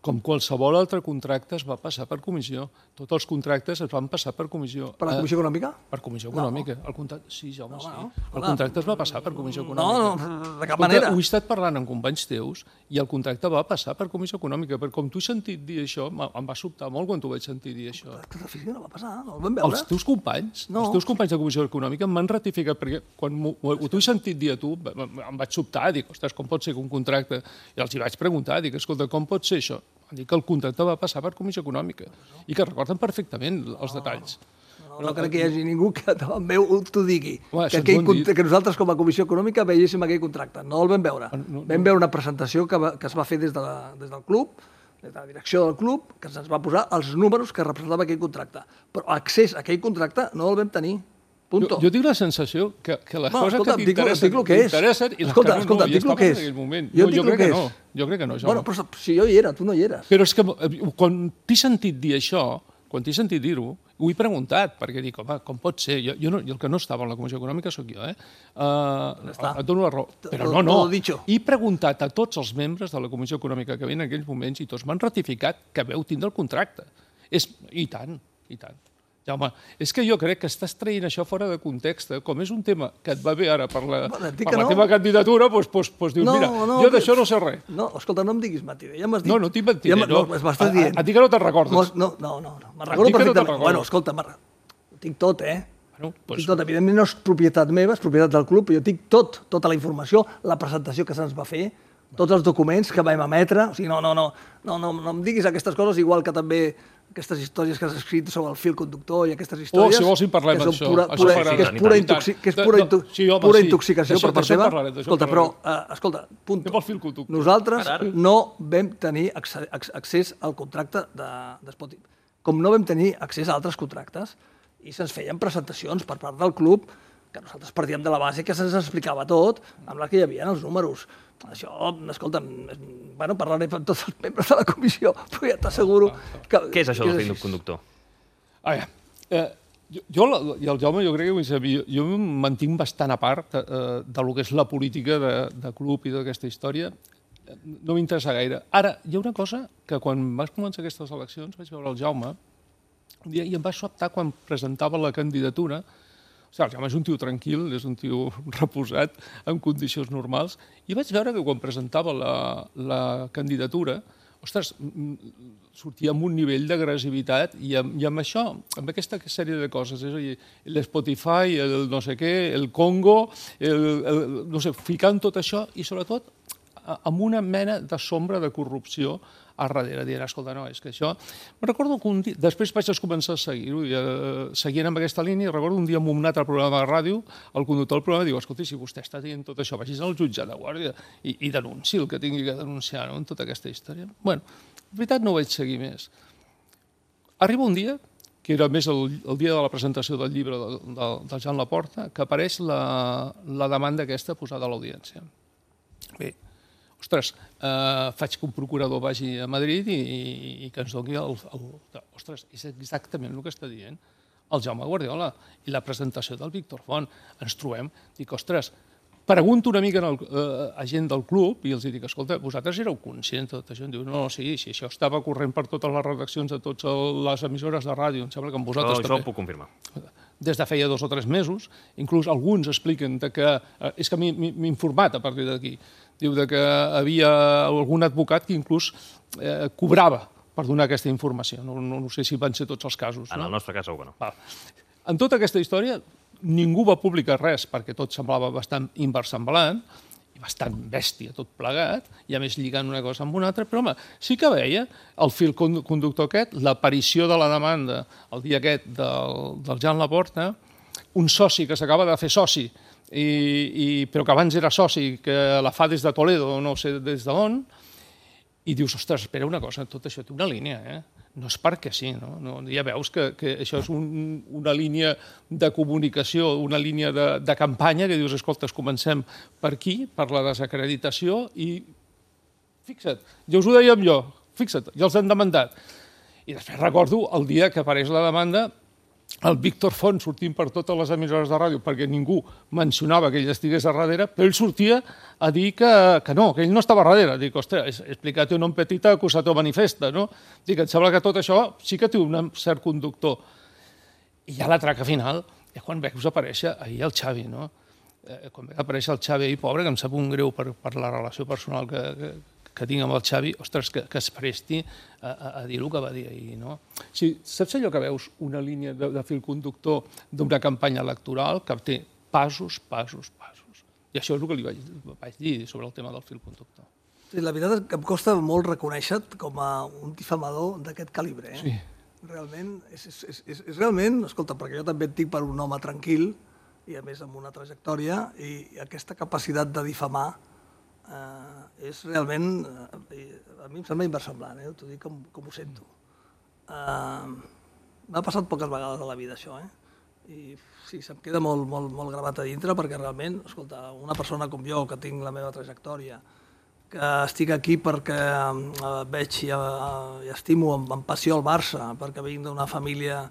Com qualsevol altre contracte es va passar per comissió. Tots els contractes es van passar per comissió. Per la comissió econòmica? Per comissió econòmica. El contracte... Sí, Jaume, sí. El contracte es va passar per comissió No, econòmica. no, de cap manera. Ho he estat parlant amb companys teus i el contracte va passar per comissió econòmica. Perquè com tu he sentit dir això, em va sobtar molt quan t'ho vaig sentir dir això. El contracte d'ofici no va passar, no el vam veure. Els teus companys, No. els teus companys de comissió econòmica m'han ratificat, perquè quan t'ho he sentit dir a tu, em vaig sobtar, dic, ostres, com pot ser que un contracte... I els hi vaig preguntar, dic, escolta, com pot ser això? Van dir que el contracte va passar per comissió econòmica i que recorden perfectament els detalls. No, no crec que hi hagi ningú que davant meu t'ho digui. Home, que, això ens aquell, ho han dit. que nosaltres com a comissió econòmica veiéssim aquell contracte. No el vam veure. no, no. Vam veure una presentació que, va, que es va fer des, de la, des del club, des de la direcció del club, que se'ns va posar els números que representava aquell contracte. Però accés a aquell contracte no el vam tenir. Punto. Jo, jo tinc la sensació que, que les No, coses escolta, que dic- t'interessen dic lo que és. t'interessen i les Escolta, que no, escolta, no, dic i lo que és. en aquell moment. Jo No, dic jo lo crec que que és. no. Jo crec que no, Jaume. Bueno, però si jo hi era, tu no hi eres. Però és que eh, quan t'he sentit dir això, quan t'he sentit dir-ho, ho he preguntat, perquè dic, home, com pot ser? Jo, jo no, el que no estava en la Comissió Econòmica sóc jo, eh? Uh, està. et dono la raó. Però Todo- no, no. todo dicho. He preguntat a tots els membres de la Comissió Econòmica que veien en aquells moments i tots m'han ratificat que veu tindre el contracte. És... I tant, i tant. Jaume, és que jo crec que estàs traient això fora de context. Eh? Com és un tema que et va bé ara per la, Bueno, et dic per que la no. teva candidatura, doncs, doncs, doncs dius, No, mira, no, jo que- d'això no sé res. No, escolta, no em diguis mentida. Ja m'has dit... No, no t'he mentit. Ja m- no, no. m'estàs A- dient. A, a ti que no te'n recordes. Mos- No, no, no. no. Me'n Et recordo dic que no te'n perfectament. recordes. Bueno, escolta, me'n- ho tinc tot, eh? Bueno, Doncs... doncs, Tot, evidentment no és propietat meva, és propietat del club, però jo tinc tot, tota la informació, la presentació que se'ns va fer, tots els documents que vam emetre, o sigui, no, no, no, no, no, no em diguis aquestes coses, igual que també aquestes històries que has escrit sobre el fil conductor i aquestes històries... Oh, si vols en parlem que són d'això. Pura, Això pura, m'agrada. que és pura, I tant, intoxi que és De- pura, de- intu sí, home, pura sí. intoxicació D'això- per part d'això en teva. parlarem, d'això en Escolta, però, parlarem. uh, escolta, punto. Anem al fil conductor. Nosaltres Ara, ara. no vam tenir acce- ac- accés al contracte de, de Spotify. Com no vam tenir accés a altres contractes, i se'ns feien presentacions per part del club, que nosaltres partíem de la base que se'ns explicava tot, amb la que hi havia els números. Això, escolta, bueno, parlaré amb tots els membres de la comissió, però ja t'asseguro que... Què és això del fil conductor? A veure, eh, Jo i el Jaume, jo crec que jo em mantinc bastant a part del que és la política de club i d'aquesta història. No m'interessa gaire. Ara, hi ha una cosa que quan vas començar aquestes eleccions vaig veure el Jaume un dia i em va sobtar quan presentava la candidatura. O sigui, el Jaume és un tio tranquil, és un tio reposat, en condicions normals, i vaig veure que quan presentava la candidatura, ostres, sortia amb un nivell d'agressivitat i amb això, amb aquesta sèrie de coses, és a dir, l'Spotify, el no sé què, el Congo, no sé, ficant tot això i sobretot amb una mena de sombra de corrupció a darrere, dient, escolta, no, és que això... Me'n recordo que un dia... Després vaig començar a seguir-ho, seguint amb aquesta línia, i recordo un dia en un altre programa de ràdio, el conductor del programa diu, escolta, si vostè està dient tot això, vagis al jutjat de guàrdia i denunciï el que tingui que denunciar en tota aquesta història. Bé, en veritat no ho vaig seguir més. Arriba un dia, que era més el dia de la presentació del llibre del Joan Laporta, que apareix la demanda aquesta posada a l'audiència. Bé, ostres, faig que un procurador vagi a Madrid i que ens doni el... Ostres, és exactament el que està dient el Jaume Guardiola i la presentació del Víctor Font. Ens trobem, dic, ostres, pregunto una mica a gent del club i els dic, escolta, vosaltres éreu conscients de tot això? Em diu, no, sí, sí, això estava corrent per totes les redaccions de totes les emissores de ràdio, em sembla que amb vosaltres també. Això ho puc confirmar. Des de feia dos o tres mesos, inclús alguns expliquen que... És que m'he informat a partir d'aquí. Diu que havia algun advocat que inclús cobrava per donar aquesta informació. No sé si van ser tots els casos. En el nostre cas segur que no. En tota aquesta història ningú va publicar res perquè tot semblava bastant inversemblant i bastant bèstia tot plegat, i a més lligant una cosa amb una altra, però home, sí que veia el fil conductor aquest, l'aparició de la demanda el dia aquest del Joan Laporta, un soci que s'acaba de fer soci, però que abans era soci, que la fa des de Toledo, no sé des d'on, i dius, ostres, espera una cosa, tot això té una línia, eh? No és perquè sí, no? Ja veus que això és una línia de comunicació, una línia de campanya, que dius, escolta, comencem per aquí, per la desacreditació, i fixa't, ja us ho dèiem jo, fixa't, ja els han demandat. I després recordo el dia que apareix la demanda, el Víctor Font sortint per totes les emissores de ràdio perquè ningú mencionava que ell estigués a darrere, però ell sortia a dir que no, que ell no estava a darrere. Dic, ostres, explicat-ho en un petit acusació manifesta, no? Dic, em sembla que tot això sí que té un cert conductor. I ja la traca final és quan veus aparèixer ahir el Xavi, no? Quan veus aparèixer el Xavi ahir, pobre, que em sap un greu per la relació personal que que tinc amb el Xavi, ostres, que es presti a dir el que va dir ahir, no? Saps allò que veus una línia de fil conductor d'una campanya electoral que té passos, passos, passos. I això és el que li vaig dir sobre el tema del fil conductor. La veritat és que em costa molt reconèixer-te com a un difamador d'aquest calibre. Sí. Realment, és realment, escolta, perquè jo també et dic per un home tranquil i a més amb una trajectòria, i aquesta capacitat de difamar és realment, a mi em sembla inversemblant, t'ho dic com ho sento. M'ha passat poques vegades a la vida això, i sí, se'm queda molt gravat a dintre perquè realment, escolta, una persona com jo, que tinc la meva trajectòria, que estic aquí perquè veig i estimo amb passió el Barça, perquè vinc d'una família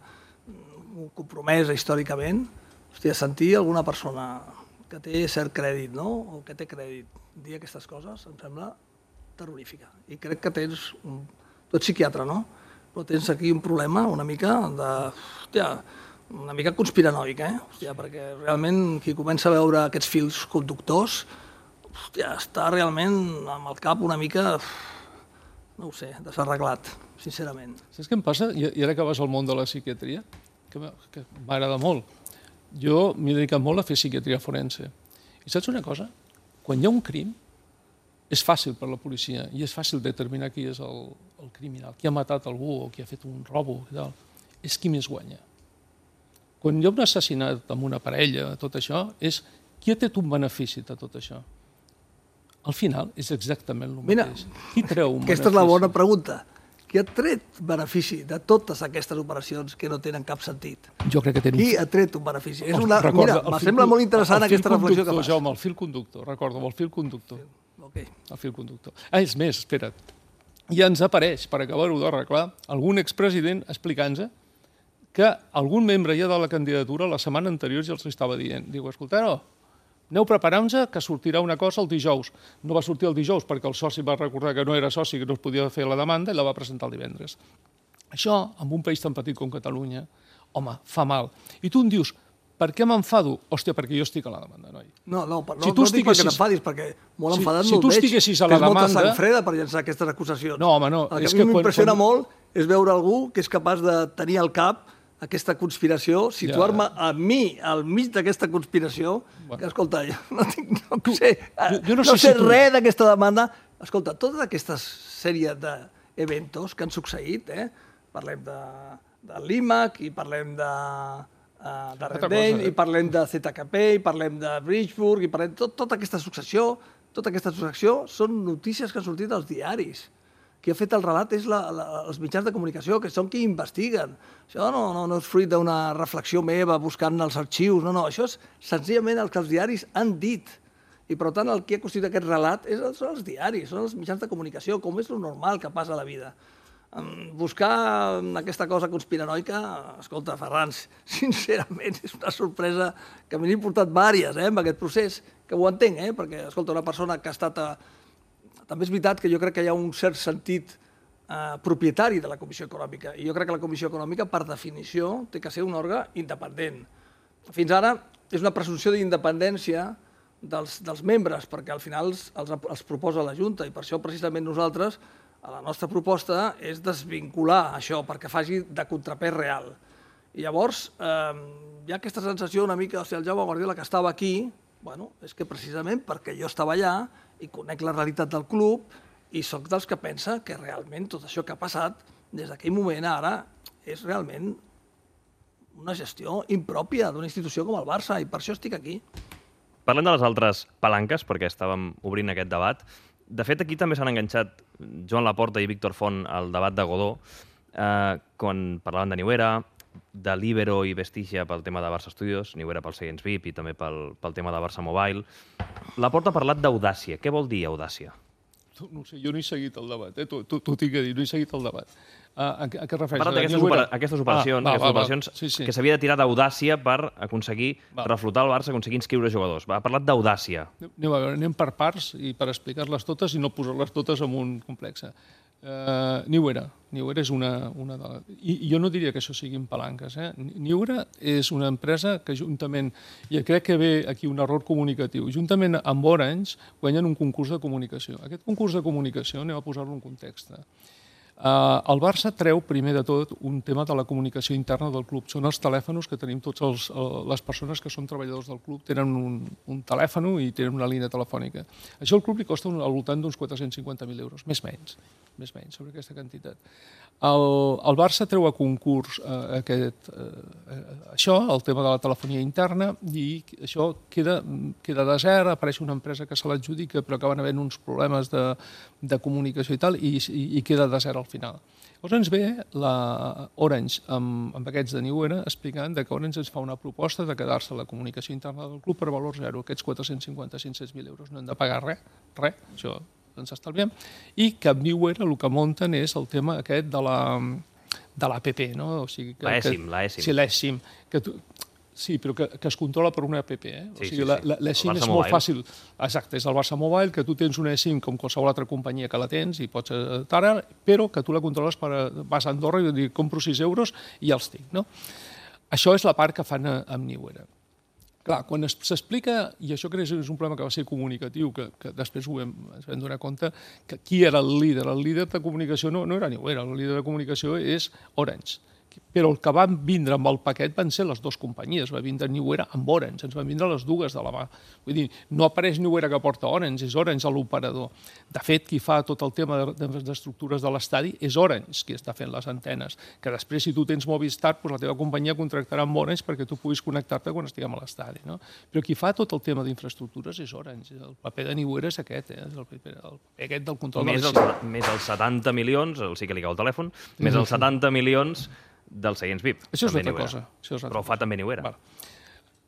compromesa històricament, hòstia, sentir alguna persona que té cert crèdit, no?, o que té crèdit, dir aquestes coses em sembla terrorífica. I crec que tens, tu ets psiquiatre, no?, però tens aquí un problema una mica de, hòstia, una mica conspiranoic, eh? Hòstia, perquè realment qui comença a veure aquests fils conductors, hòstia, està realment amb el cap una mica, no ho sé, desarreglat, sincerament. Saps què em passa? I ara que vas al món de la psiquiatria, que m'agrada molt, jo m'he dedicat molt a fer psiquiatria forense. I saps una cosa? Quan hi ha un crim, és fàcil per la policia i és fàcil determinar qui és el criminal, qui ha matat algú o qui ha fet un robo, és qui més guanya. Quan hi ha un assassinat amb una parella, tot això, és qui ha tret un benefici de tot això. Al final és exactament el mateix. Qui treu un benefici? Aquesta és la bona pregunta. Qui ha tret benefici de totes aquestes operacions que no tenen cap sentit? Jo crec que tenen... Qui ha tret un benefici? Mira, em sembla molt interessant aquesta reflexió que fas. Jaume, el fil conductor, recordo, el fil conductor. El fil conductor. Ah, és més, espera't. Ja ens apareix, per acabar-ho d'arreglar, algun expresident explicant-nos que algun membre ja de la candidatura la setmana anterior ja els estava dient. Diu, escolteu, aneu preparant-vos que sortirà una cosa el dijous. No va sortir el dijous perquè el soci va recordar que no era soci, que no es podia fer la demanda i la va presentar el divendres. Això, en un país tan petit com Catalunya, home, fa mal. I tu em dius, per què m'enfado? Hòstia, perquè jo estic a la demanda, noi. No, no, no, no dic perquè t'enfadis, perquè molt enfadat no el veig. Si tu estiguessis a la demanda... Tens molta sang freda per llançar aquestes acusacions. No, home, no. El que a mi m'impressiona molt és veure algú que és capaç de tenir al cap aquesta conspiració, situar-me a mi al mig d'aquesta conspiració, que, escolta, jo no, tinc, no sé, no sé res d'aquesta demanda. Escolta, tota aquesta sèrie d'eventos que han succeït, eh? Parlem de l'IMAC, i parlem de de Rendell, i parlem de Z K P, i parlem de Bridgeburg, i parlem de tota aquesta successió, tota aquesta successió són notícies que han sortit als diaris. Qui ha fet el relat és la, la, els mitjans de comunicació, que són qui investiguen. Això no, no, no és fruit d'una reflexió meva buscant els arxius, no, no, això és senzillament el que els diaris han dit. I, per tant, el que ha constituït aquest relat és, són els diaris, són els mitjans de comunicació, com és el normal que passa a la vida. Buscar aquesta cosa conspiranoica, escolta, Ferran, sincerament, és una sorpresa que m'he portat vàries, eh, amb aquest procés, que ho entenc, eh, perquè, escolta, una persona que ha estat... A, també és veritat que jo crec que hi ha un cert sentit eh, propietari de la Comissió Econòmica, i jo crec que la Comissió Econòmica, per definició, té que ser un òrgan independent. Fins ara és una presumpció d'independència dels, dels membres, perquè al final els, els, els proposa la Junta, i per això precisament nosaltres, a la nostra proposta, és desvincular això, perquè faci de contrapès real. I llavors, eh, hi ha aquesta sensació una mica, o sigui, el Jaume Guardiola que estava aquí, bueno, és que precisament perquè jo estava allà i conec la realitat del club i sóc dels que pensa que realment tot això que ha passat des d'aquell moment a ara és realment una gestió impròpia d'una institució com el Barça, i per això estic aquí. Parlem de les altres palanques, perquè estàvem obrint aquest debat. De fet, aquí també s'han enganxat Joan Laporta i Víctor Font al debat de Godó, eh, quan parlaven de Niuera, de Libero i Vestigia pel tema de Barça Studios, Niuera pel Seients V I P i també pel, pel tema de Barça Mobile. Laporta ha parlat d'audàcia. Què vol dir audàcia? No sé, jo no he seguit el debat, eh? T'ho tinc que dir, no he seguit el debat. A, a, a què es refereix? Ha parlat d'aquestes opera... aquestes operacions, ah, va, aquestes va, operacions va. Sí, sí. que s'havia de tirar d'audàcia per aconseguir va. reflotar el Barça, aconseguir inscriure jugadors. Va, ha parlat d'audàcia. Anem, a veure, anem per parts i per explicar-les totes i no posar-les totes en un complex. Uh, Niuera. Niuera és una... una de... I, I jo no diria que això siguin palanques. Eh? Niuera és una empresa que juntament, i crec que ve aquí un error comunicatiu, juntament amb Orange guanyen un concurs de comunicació. Aquest concurs de comunicació, anem a posar-lo en context. Uh, el Barça treu, primer de tot, un tema de la comunicació interna del club. Són els telèfons que tenim tots els, les persones que són treballadors del club. Tenen un, un telèfon i tenen una línia telefònica. Això al club li costa un, al voltant d'uns quatre-cents cinquanta mil euros, més menys. més menys sobre aquesta quantitat. El, el Barça treu a concurs eh, aquest, eh, això, el tema de la telefonia interna, i això queda, queda desert, apareix una empresa que se l'adjudica, però acaben havent uns problemes de, de comunicació i tal, i, i, i queda desert al final. Llavors ens ve la Orange amb, amb aquests de Niuera explicant que Orange ens fa una proposta de quedar-se la comunicació interna del club per valor zero, aquests quatre-cents cinquanta a cinc-cents mil euros. No hem de pagar res, res, això ens estalviem, i que amb Niuera el que munten és el tema aquest de la de l'A P P, no? O sigui, que, la eSIM, la eSIM. Sí, l'eSIM. Que tu, sí, però que, que es controla per una app, eh? O sí, sigui, sí, la, sí. la, l'eSIM és molt fàcil. Exacte, és el Barça Mobile, que tu tens una eSIM com qualsevol altra companyia que la tens i pots estar, però que tu la controles per, vas a Andorra i dir, compro sis euros i ja els tinc, no? Això és la part que fan amb Niuera. Clar, quan s'explica, i això crec que és un problema que va ser comunicatiu, que, que després ho hem, ens vam donar compte, que qui era el líder? El líder de comunicació no, no era Niuera, el líder de comunicació és Orange. Però el que van vindre amb el paquet van ser les dues companyies, va vindre Niuera amb Orange, ens van vindre les dues de la mà. Vull dir, no apareix Niuera que porta Orange, és Orange l'operador. De fet, qui fa tot el tema d'estructures de l'estadi és Orange, qui està fent les antenes, que després, si tu tens Movistar, doncs la teva companyia contractarà amb Orange perquè tu puguis connectar-te quan estiguem a l'estadi, no? Però qui fa tot el tema d'infraestructures és Orange. El paper de Niuera és aquest, eh? És el paper, el paper aquest del control més de els, més els setanta milions, el sí que li cau el telèfon, més els setanta milions del Seients V I P. Això és altra cosa. Això és Però ho fa també Niuera. Val.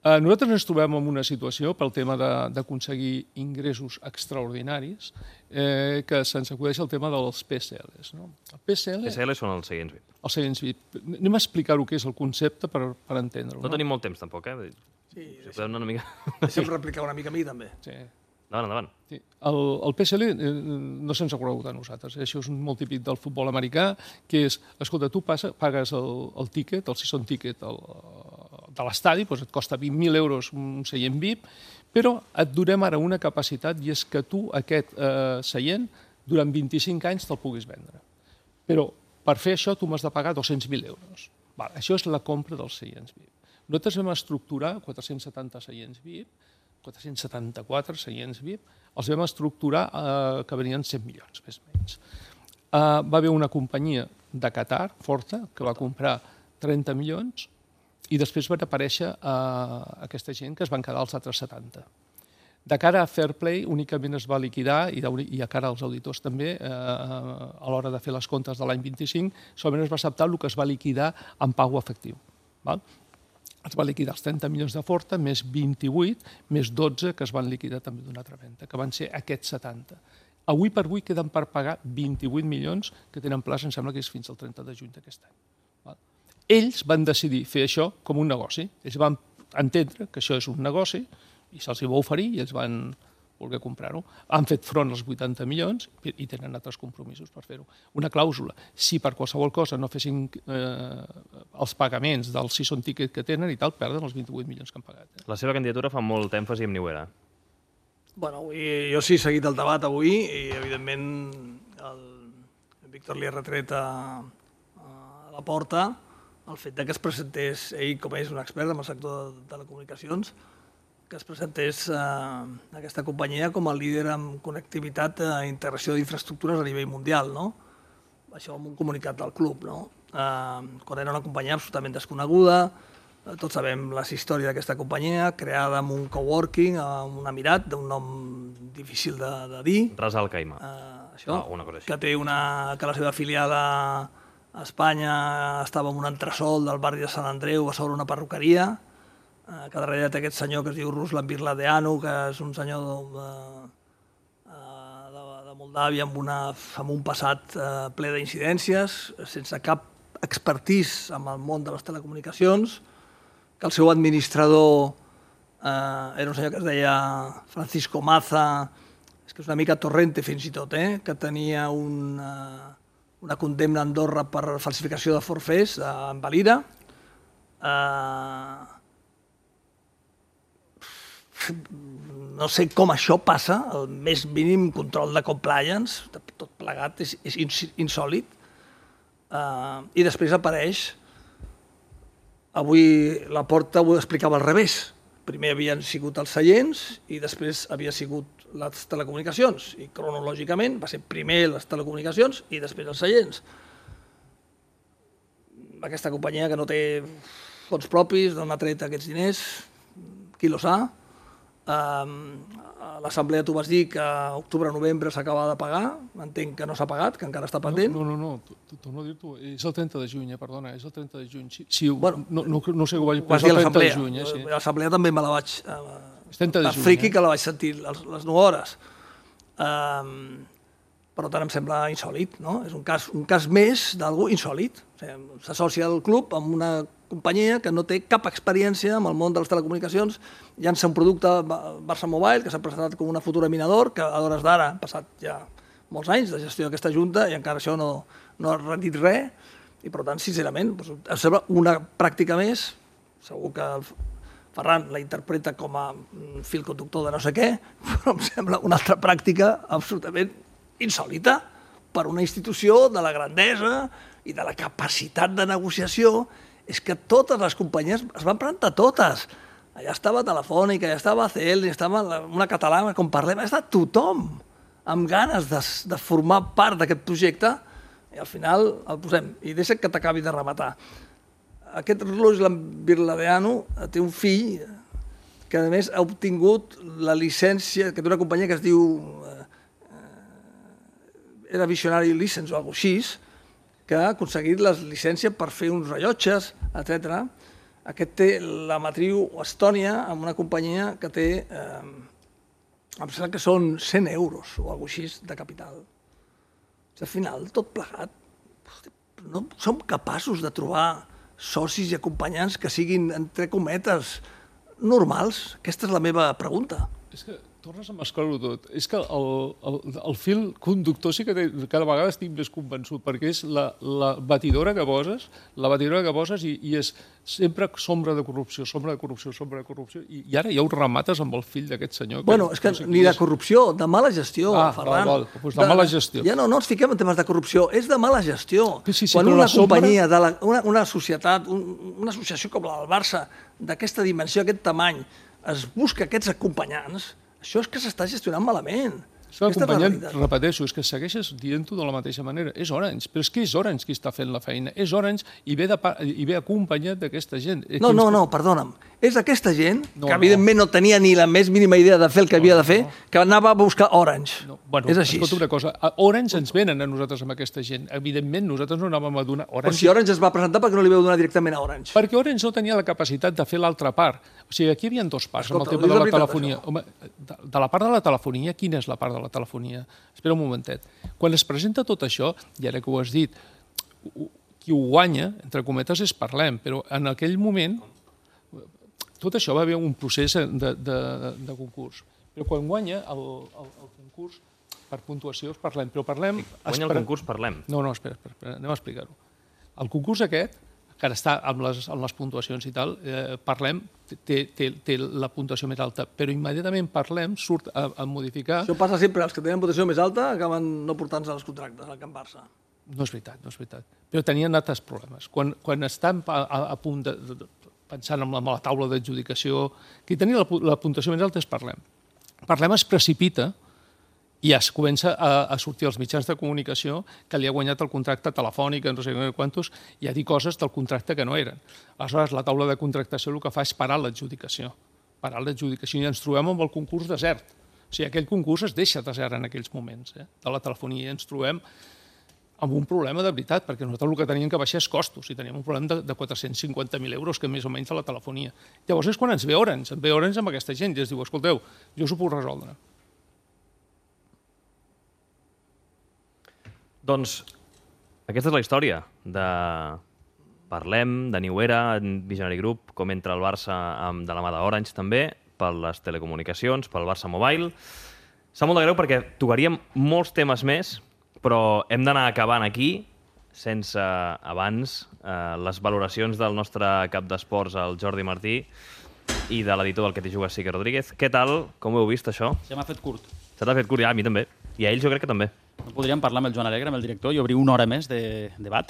Nosaltres ens trobem en una situació pel tema d'aconseguir ingressos extraordinaris que se'ns acudeix el tema dels P S Ls. El P S L... P S Ls són els seients V I P. Els seients V I P. Anem a explicar el que és el concepte per entendre-ho. No tenim molt temps, tampoc, eh? Sí, deixa'm replicar una mica a mi, també. Sí. Endavant, endavant. Sí. El, el P S L eh, no se'ns ha conegut a nosaltres. Això és molt típic del futbol americà, que és, escolta, tu passa, pagues el, el tíquet, el season ticket el, de l'estadi, doncs et costa vint mil euros un seient V I P, però et donem ara una capacitat i és que tu aquest eh, seient durant vint-i-cinc anys te'l puguis vendre. Però per fer això tu m'has de pagar dos-cents mil euros. Val, això és la compra dels seients V I P. Nosaltres vam estructurar quatre-cents setanta seients V I P, quatre-cents setanta-quatre seients V I P, els vam estructurar eh, que venien cent milions, més o menys. Eh, va haver una companyia de Qatar, forta, que va comprar trenta milions i després van aparèixer eh, aquesta gent que es van quedar els altres setanta. De cara a Fair Play únicament es va liquidar, i a cara als auditors també, eh, a l'hora de fer les comptes de l'any vint-i-cinc, solament es va acceptar el que es va liquidar en pau efectiu. Val? Es va liquidar els trenta milions de Forta, més vint-i-vuit, més dotze que es van liquidar també d'una altra venda, que van ser aquests setanta. Avui per avui queden per pagar vint-i-vuit milions que tenen plaç, em sembla que és fins al trenta de juny d'aquest any. Val? Ells van decidir fer això com un negoci. Ells van entendre que això és un negoci i se'ls hi va oferir i ells van voler comprar-ho. Han fet front als vuitanta milions i tenen altres compromisos per fer-ho. Una clàusula, si per qualsevol cosa no fessin eh, els pagaments del season ticket que tenen i tal, perden els vint-i-vuit milions que han pagat. Eh? La seva candidatura fa molt èmfasi en Niuera. Bueno, avui, jo sí he seguit el debat avui i, evidentment, el Víctor li ha retret a, a la porta el fet que es presentés, ell com és un expert en el sector de telecomunicacions, que es presentés eh, aquesta companyia com a líder en connectivitat i integració d'infraestructures a nivell mundial, no? Això en un comunicat del club, no? Eh, quan era una companyia absolutament desconeguda, eh, tots sabem la història d'aquesta companyia, creada amb un coworking, amb un emirat, d'un nom difícil de, de dir. Ras Al Khaimah. Eh, això, ah, una cosa així. Que té una, que la seva filial a Espanya estava en un entresòl del barri de Sant Andreu a sobre una perruqueria, que darrere té aquest senyor que es diu Ruslan Birladeanu, que és un senyor de, de, de Moldàvia amb, una, amb un passat ple d'incidències, sense cap expertís en el món de les telecomunicacions, que el seu administrador eh, era un senyor que es deia Francisco Maza, és que és una mica Torrente fins i tot, eh, que tenia un, eh, una condemna a Andorra per falsificació de forfers en Valira. Eh, no sé com això passa, el més mínim control de compliance, tot plegat, és, és insòlid. Uh, I després apareix, avui la Porta ho explicava al revés. Primer havien sigut els seients i després havia sigut les telecomunicacions. I cronològicament va ser primer les telecomunicacions i després els seients. Aquesta companyia que no té fons propis, d'on ha tret aquests diners, qui lo sa. Uh, a l'assemblea tu vas dir que a octubre-novembre s'acaba de pagar, entenc que no s'ha pagat, que encara està pendent. No, no, no, torno a dir-t'ho, és el trenta de juny, perdona, és el trenta de juny. Sí, sí, bueno, no, no, no sé què ho vaig dir, però és el trenta de juny. Eh, sí. L'assemblea també me la vaig... Uh, de juny, friqui eh? que la vaig sentir les, les nou hores. Uh, per tant, em sembla insòlid, no? És un cas, un cas més d'algú insòlid. O sigui, s'associa el club amb una companyia que no té cap experiència en el món de les telecomunicacions, llança un producte Barça Mobile que s'ha presentat com una futura minador, que a hores d'ara han passat ja molts anys de gestió d'aquesta junta i encara això no, no ha rendit res, i per tant, sincerament, doncs, em sembla una pràctica més, segur que el Ferran la interpreta com a fil conductor de no sé què, però em sembla una altra pràctica absolutament insòlita per una institució de la grandesa i de la capacitat de negociació. És que totes les companyies es van presentar totes. Allà estava Telefònica, allà estava A C L, estava una catalana, com parlem, ha estat tothom amb ganes de, de formar part d'aquest projecte i al final el posem. I deixa que t'acabi de rematar. Aquest Ruslan Birladeanu té un fill que a més ha obtingut la llicència, que té una companyia que es diu eh, era Visionary License o alguna cosa així, que ha aconseguit la llicència per fer uns rellotges, etcètera. aquest té la matriu Estònia amb una companyia que té, eh, em sembla que són cent euros o alguna cosa així de capital. Al final, tot plegat, no som capaços de trobar socis i acompanyants que siguin, entre cometes, normals? Aquesta és la meva pregunta. És que tornes a mesclar-ho tot. És que el, el, el fil conductor sí que té, cada vegada estic més convençut, perquè és la, la batidora que poses, la batidora que poses i, i és sempre sombra de corrupció, sombra de corrupció, sombra de corrupció, i, i ara ja ho remates amb el fill d'aquest senyor. Que bueno, és que no sé ni de corrupció, de mala gestió, ah, Ferran. Val, val. Pues de mala gestió. Ja no, no ens fiquem en temes de corrupció, és de mala gestió. Sí, sí, Quan una sombra... companyia, de la, una, una societat, un, una associació com la del Barça, d'aquesta dimensió, aquest tamany, es busca aquests acompanyants, això és que s'està gestionant malament. Això acompanyant, repeteixo, és que segueixes dient-ho de la mateixa manera. És Orange, però és que és Orange qui està fent la feina. És Orange i ve, de, i ve acompanyat d'aquesta gent. No, no, no, perdona'm. És aquesta gent, no, que evidentment no. no tenia ni la més mínima idea de fer el que havia de fer, no. que anava a buscar Orange. No. Bueno, és així. Escolta una cosa, Orange ens venen a nosaltres amb aquesta gent. Evidentment, nosaltres no anàvem a donar Orange. Però si Orange es va presentar, perquè no li vau donar directament a Orange? Perquè Orange no tenia la capacitat de fer l'altra part. O sigui, aquí hi havia dos parts, Escolta, amb el tema de la veritat, telefonia. Home, de, de la part de la telefonia, quina és la part de la telefonia? Espera un momentet. Quan es presenta tot això, i ara que ho has dit, qui ho guanya, entre cometes, és Parlem, però en aquell moment tot això va haver un procés de, de, de concurs. Però quan guanya el, el, el concurs per puntuació és Parlem, però Parlem... Guanya el concurs Parlem? No, no, espera, espera, espera anem a explicar-ho. El concurs aquest, que ara està amb les, amb les puntuacions i tal, eh, Parlem té, té, té la puntuació més alta, però immediatament Parlem surt a, a modificar... Això passa sempre, els que tenen puntuació més alta acaben no portant-se als contractes, al Can Barça. No és veritat, no és veritat. Però tenien altres problemes. Quan, quan estan a, a, a punt de, de, pensant en la, en la taula d'adjudicació, qui tenia la, la puntuació més alta és Parlem. Parlem es precipita i es comença a, a sortir als mitjans de comunicació que li ha guanyat el contracte telefònic, no sé quantos, i a dir coses del contracte que no eren. Aleshores, la taula de contractació el que fa és parar l'adjudicació. Parar l'adjudicació i ens trobem amb el concurs desert. O sigui, aquell concurs es deixa desert en aquells moments, eh, de la telefonia, i ens trobem amb un problema de veritat, perquè nosaltres el que teníem que baixar és costos, i teníem un problema de, de quatre-cents cinquanta mil euros, que més o menys de la telefonia. Llavors és quan ens ve Orange, ens ve Orange amb aquesta gent, i ens diu, escolteu, jo us ho puc resoldre. Doncs aquesta és la història de Parlem, de New Era, Visionary Group, com entra el Barça amb, de la mà d'Orange també, per les telecomunicacions, pel Barça Mobile. Sap molt de greu perquè tocaríem molts temes més, però hem d'anar acabant aquí, sense abans eh, les valoracions del nostre cap d'esports, el Jordi Martí, i de l'editor del Que t'hi jugues, Sique Rodríguez. Què tal? Com ho heu vist, això? Se m'ha fet curt. Se t'ha fet curt, ja, a mi també. I a ells jo crec que també. No podríem parlar amb el Joan Alegre, amb el director, i obrir una hora més de debat?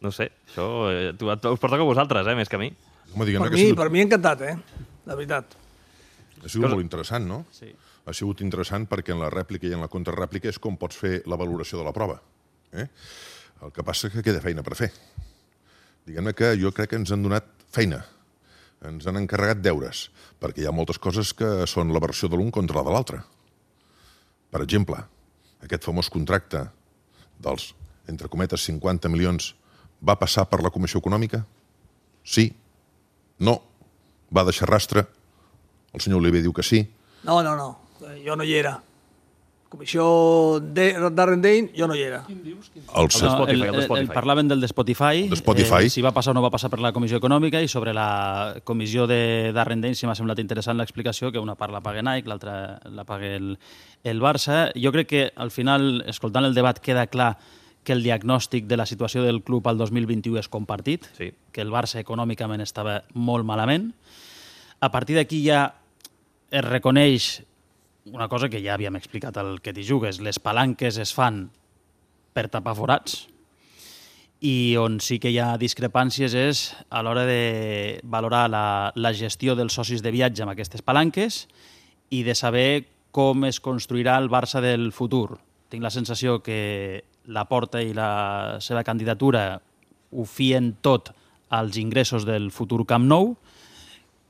No sé, això eh, us pertoca a vosaltres, eh, més que a mi. Home, per, mi, sigut... per mi encantat, eh? De veritat. Ha sigut Cosa... molt interessant, no? Sí. Ha sigut interessant perquè en la rèplica i en la contrarèplica és com pots fer la valoració de la prova. Eh? El que passa és que queda feina per fer. Diguem-ne que jo crec que ens han donat feina. Ens han encarregat deures, perquè hi ha moltes coses que són la versió de l'un contra la de l'altre. Per exemple, aquest famós contracte dels, entre cometes, cinquanta milions va passar per la Comissió Econòmica? Sí. No. Va deixar rastre? El senyor Oliver diu que sí. No, no, no. Jo no hi era. Comissió de Darrendale, jo no hi era. Quin dius? Quin dius? El, no, el, el, el, el parlaven del de Spotify, de Spotify. Eh, si va passar o no va passar per la Comissió Econòmica, i sobre la comissió de Darrendale si m'ha semblat interessant l'explicació, que una part la paga Nike, l'altra la paga el, el Barça. Jo crec que al final, escoltant el debat, queda clar que el diagnòstic de la situació del club al dos mil vint-i-u és compartit, sí. Que el Barça econòmicament estava molt malament. A partir d'aquí ja es reconeix una cosa que ja havíem explicat al Que t'hi jugues, les palanques es fan per tapar forats, i on sí que hi ha discrepàncies és a l'hora de valorar la, la gestió dels socis de viatge amb aquestes palanques i de saber com es construirà el Barça del futur. Tinc la sensació que Laporta i la seva candidatura ho fien tot als ingressos del futur Camp Nou,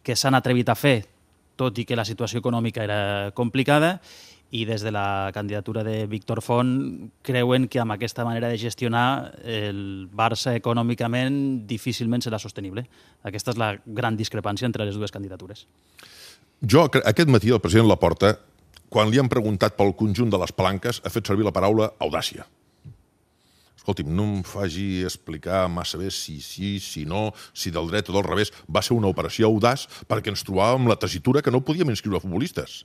que s'han atrevit a fer tot i que la situació econòmica era complicada, i des de la candidatura de Víctor Font creuen que amb aquesta manera de gestionar el Barça econòmicament difícilment serà sostenible. Aquesta és la gran discrepància entre les dues candidatures. Jo, aquest matí, el president Laporta, quan li han preguntat pel conjunt de les palanques, ha fet servir la paraula audàcia. Escolti'm, no em faci explicar massa bé si sí, si no, si del dret o del revés. Va ser una operació audaç perquè ens trobàvem la tessitura que no podíem inscriure futbolistes.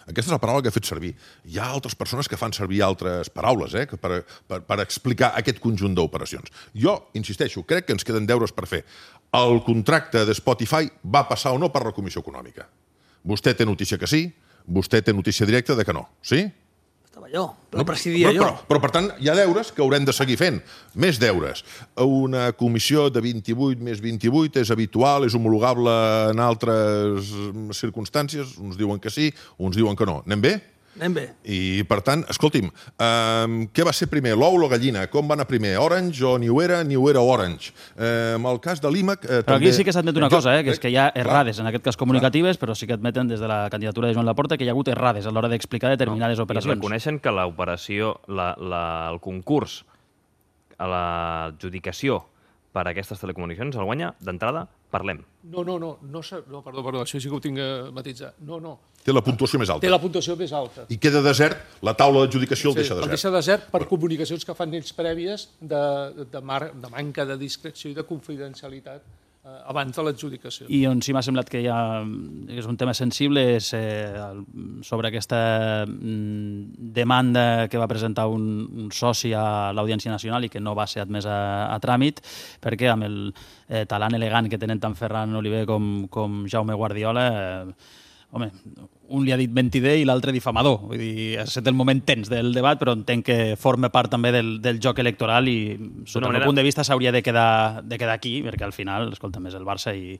Aquesta és la paraula que he fet servir. Hi ha altres persones que fan servir altres paraules eh, per, per, per explicar aquest conjunt d'operacions. Jo, insisteixo, crec que ens queden deures per fer. El contracte de Spotify va passar o no per la Comissió Econòmica? Vostè té notícia que sí, vostè té notícia directa de que no, sí? Estava jo, però presidia jo. Però, però, per tant, hi ha deures que haurem de seguir fent. Més deures. Una comissió de vint-i-vuit més vint-i-vuit és habitual, és homologable en altres circumstàncies? Uns diuen que sí, uns diuen que no. Anem bé? Anem bé. I, per tant, escolti'm, eh, què va ser primer, l'ou o la gallina? Com va anar primer? Orange o New Era, New Era Orange? Eh, en el cas de l'IMAC... Eh, però també... aquí sí que s'admet una cosa, eh, que és que hi ha errades, en aquest cas comunicatives, però sí que admeten des de la candidatura de Joan Laporta que hi ha hagut errades a l'hora d'explicar determinades no, operacions. I reconeixen que l'operació, la, la, el concurs, a l'adjudicació per a aquestes telecomunicacions el guanya, d'entrada, parlem. No, no, no, no, no perdó, perdó, això sí que ho tinc a matisar. No, no. Té la puntuació més alta. Té la puntuació més alta. I queda desert, la taula d'adjudicació el sí, deixa desert. El deixa desert per comunicacions que fan ells prèvies de, de, mar, de manca de discreció i de confidencialitat eh, abans de l'adjudicació. I on sí m'ha semblat que hi ha, és un tema sensible és eh, sobre aquesta mm, demanda que va presentar un, un soci a l'Audiència Nacional i que no va ser admès a, a tràmit, perquè amb el eh, talant elegant que tenen tant Ferran Oliver com, com Jaume Guardiola, eh, home, un li ha dit mentider i l'altre difamador. Vull dir, ha estat el moment tens del debat, però entenc que forma part també del, del joc electoral i, sota el meu punt de vista, s'hauria de quedar, de quedar aquí, perquè al final, escolta, és el Barça i,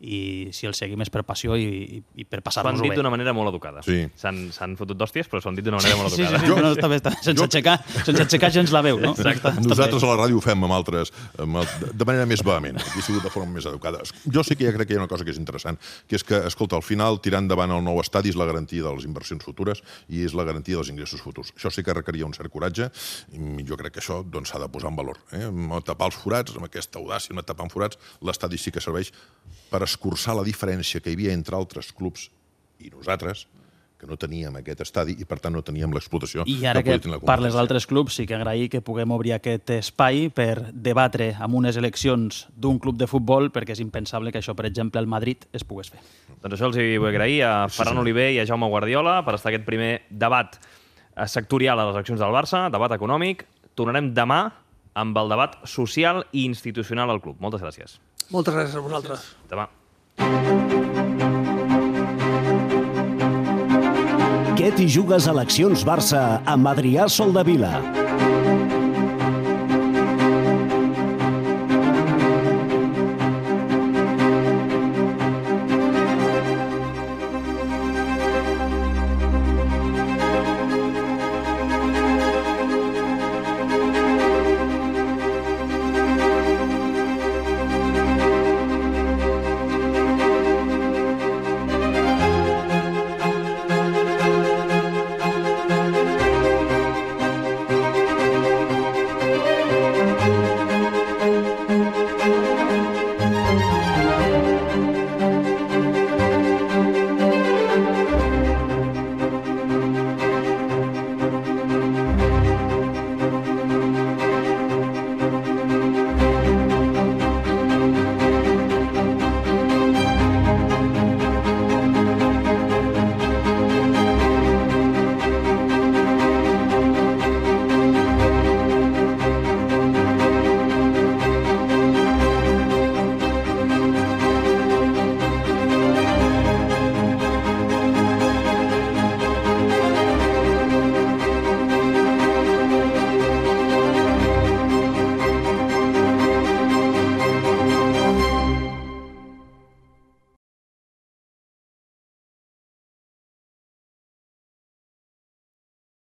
i si el seguim és per passió i, i per passar-nos-ho bé. S'ho han dit d'una manera molt educada. Sí. S'han fotut d'hòsties, però s'ho han dit d'una manera molt educada. Sí, sí, sí, no, està bé, està bé. Sense, jo... aixecar, sense aixecar gens la veu, no? Exacte. Nosaltres a la ràdio ho fem amb altres, amb el, de manera més vehement. Aquí ha sigut de forma més educada. Jo sí que ja crec que hi ha una cosa que és interessant, que és que, escolta, al final, tirar endavant el nou estadi és la garantia de les inversions futures i és la garantia dels ingressos futurs. Això sí que requeria un cert coratge i jo crec que això doncs, s'ha de posar en valor. Eh? Amb tapar els forats, amb aquesta audàcia, amb tapar forats, l'estadi sí que serveix per escurçar la diferència que hi havia entre altres clubs i nosaltres, que no teníem aquest estadi i, per tant, no teníem l'explotació. I ara que, que parles d'altres clubs, sí que agrair que puguem obrir aquest espai per debatre amb unes eleccions d'un club de futbol, perquè és impensable que això, per exemple, al Madrid es pogués fer. Doncs això els hi vull agrair a Ferran Oliver i a Jaume Guardiola per estar aquest primer debat sectorial a les eleccions del Barça, debat econòmic. Tornarem demà amb el debat social i institucional al club. Moltes gràcies. Moltes gràcies a vosaltres. Demà. Què t'hi jugues eleccions Barça amb Adrià Soldevila?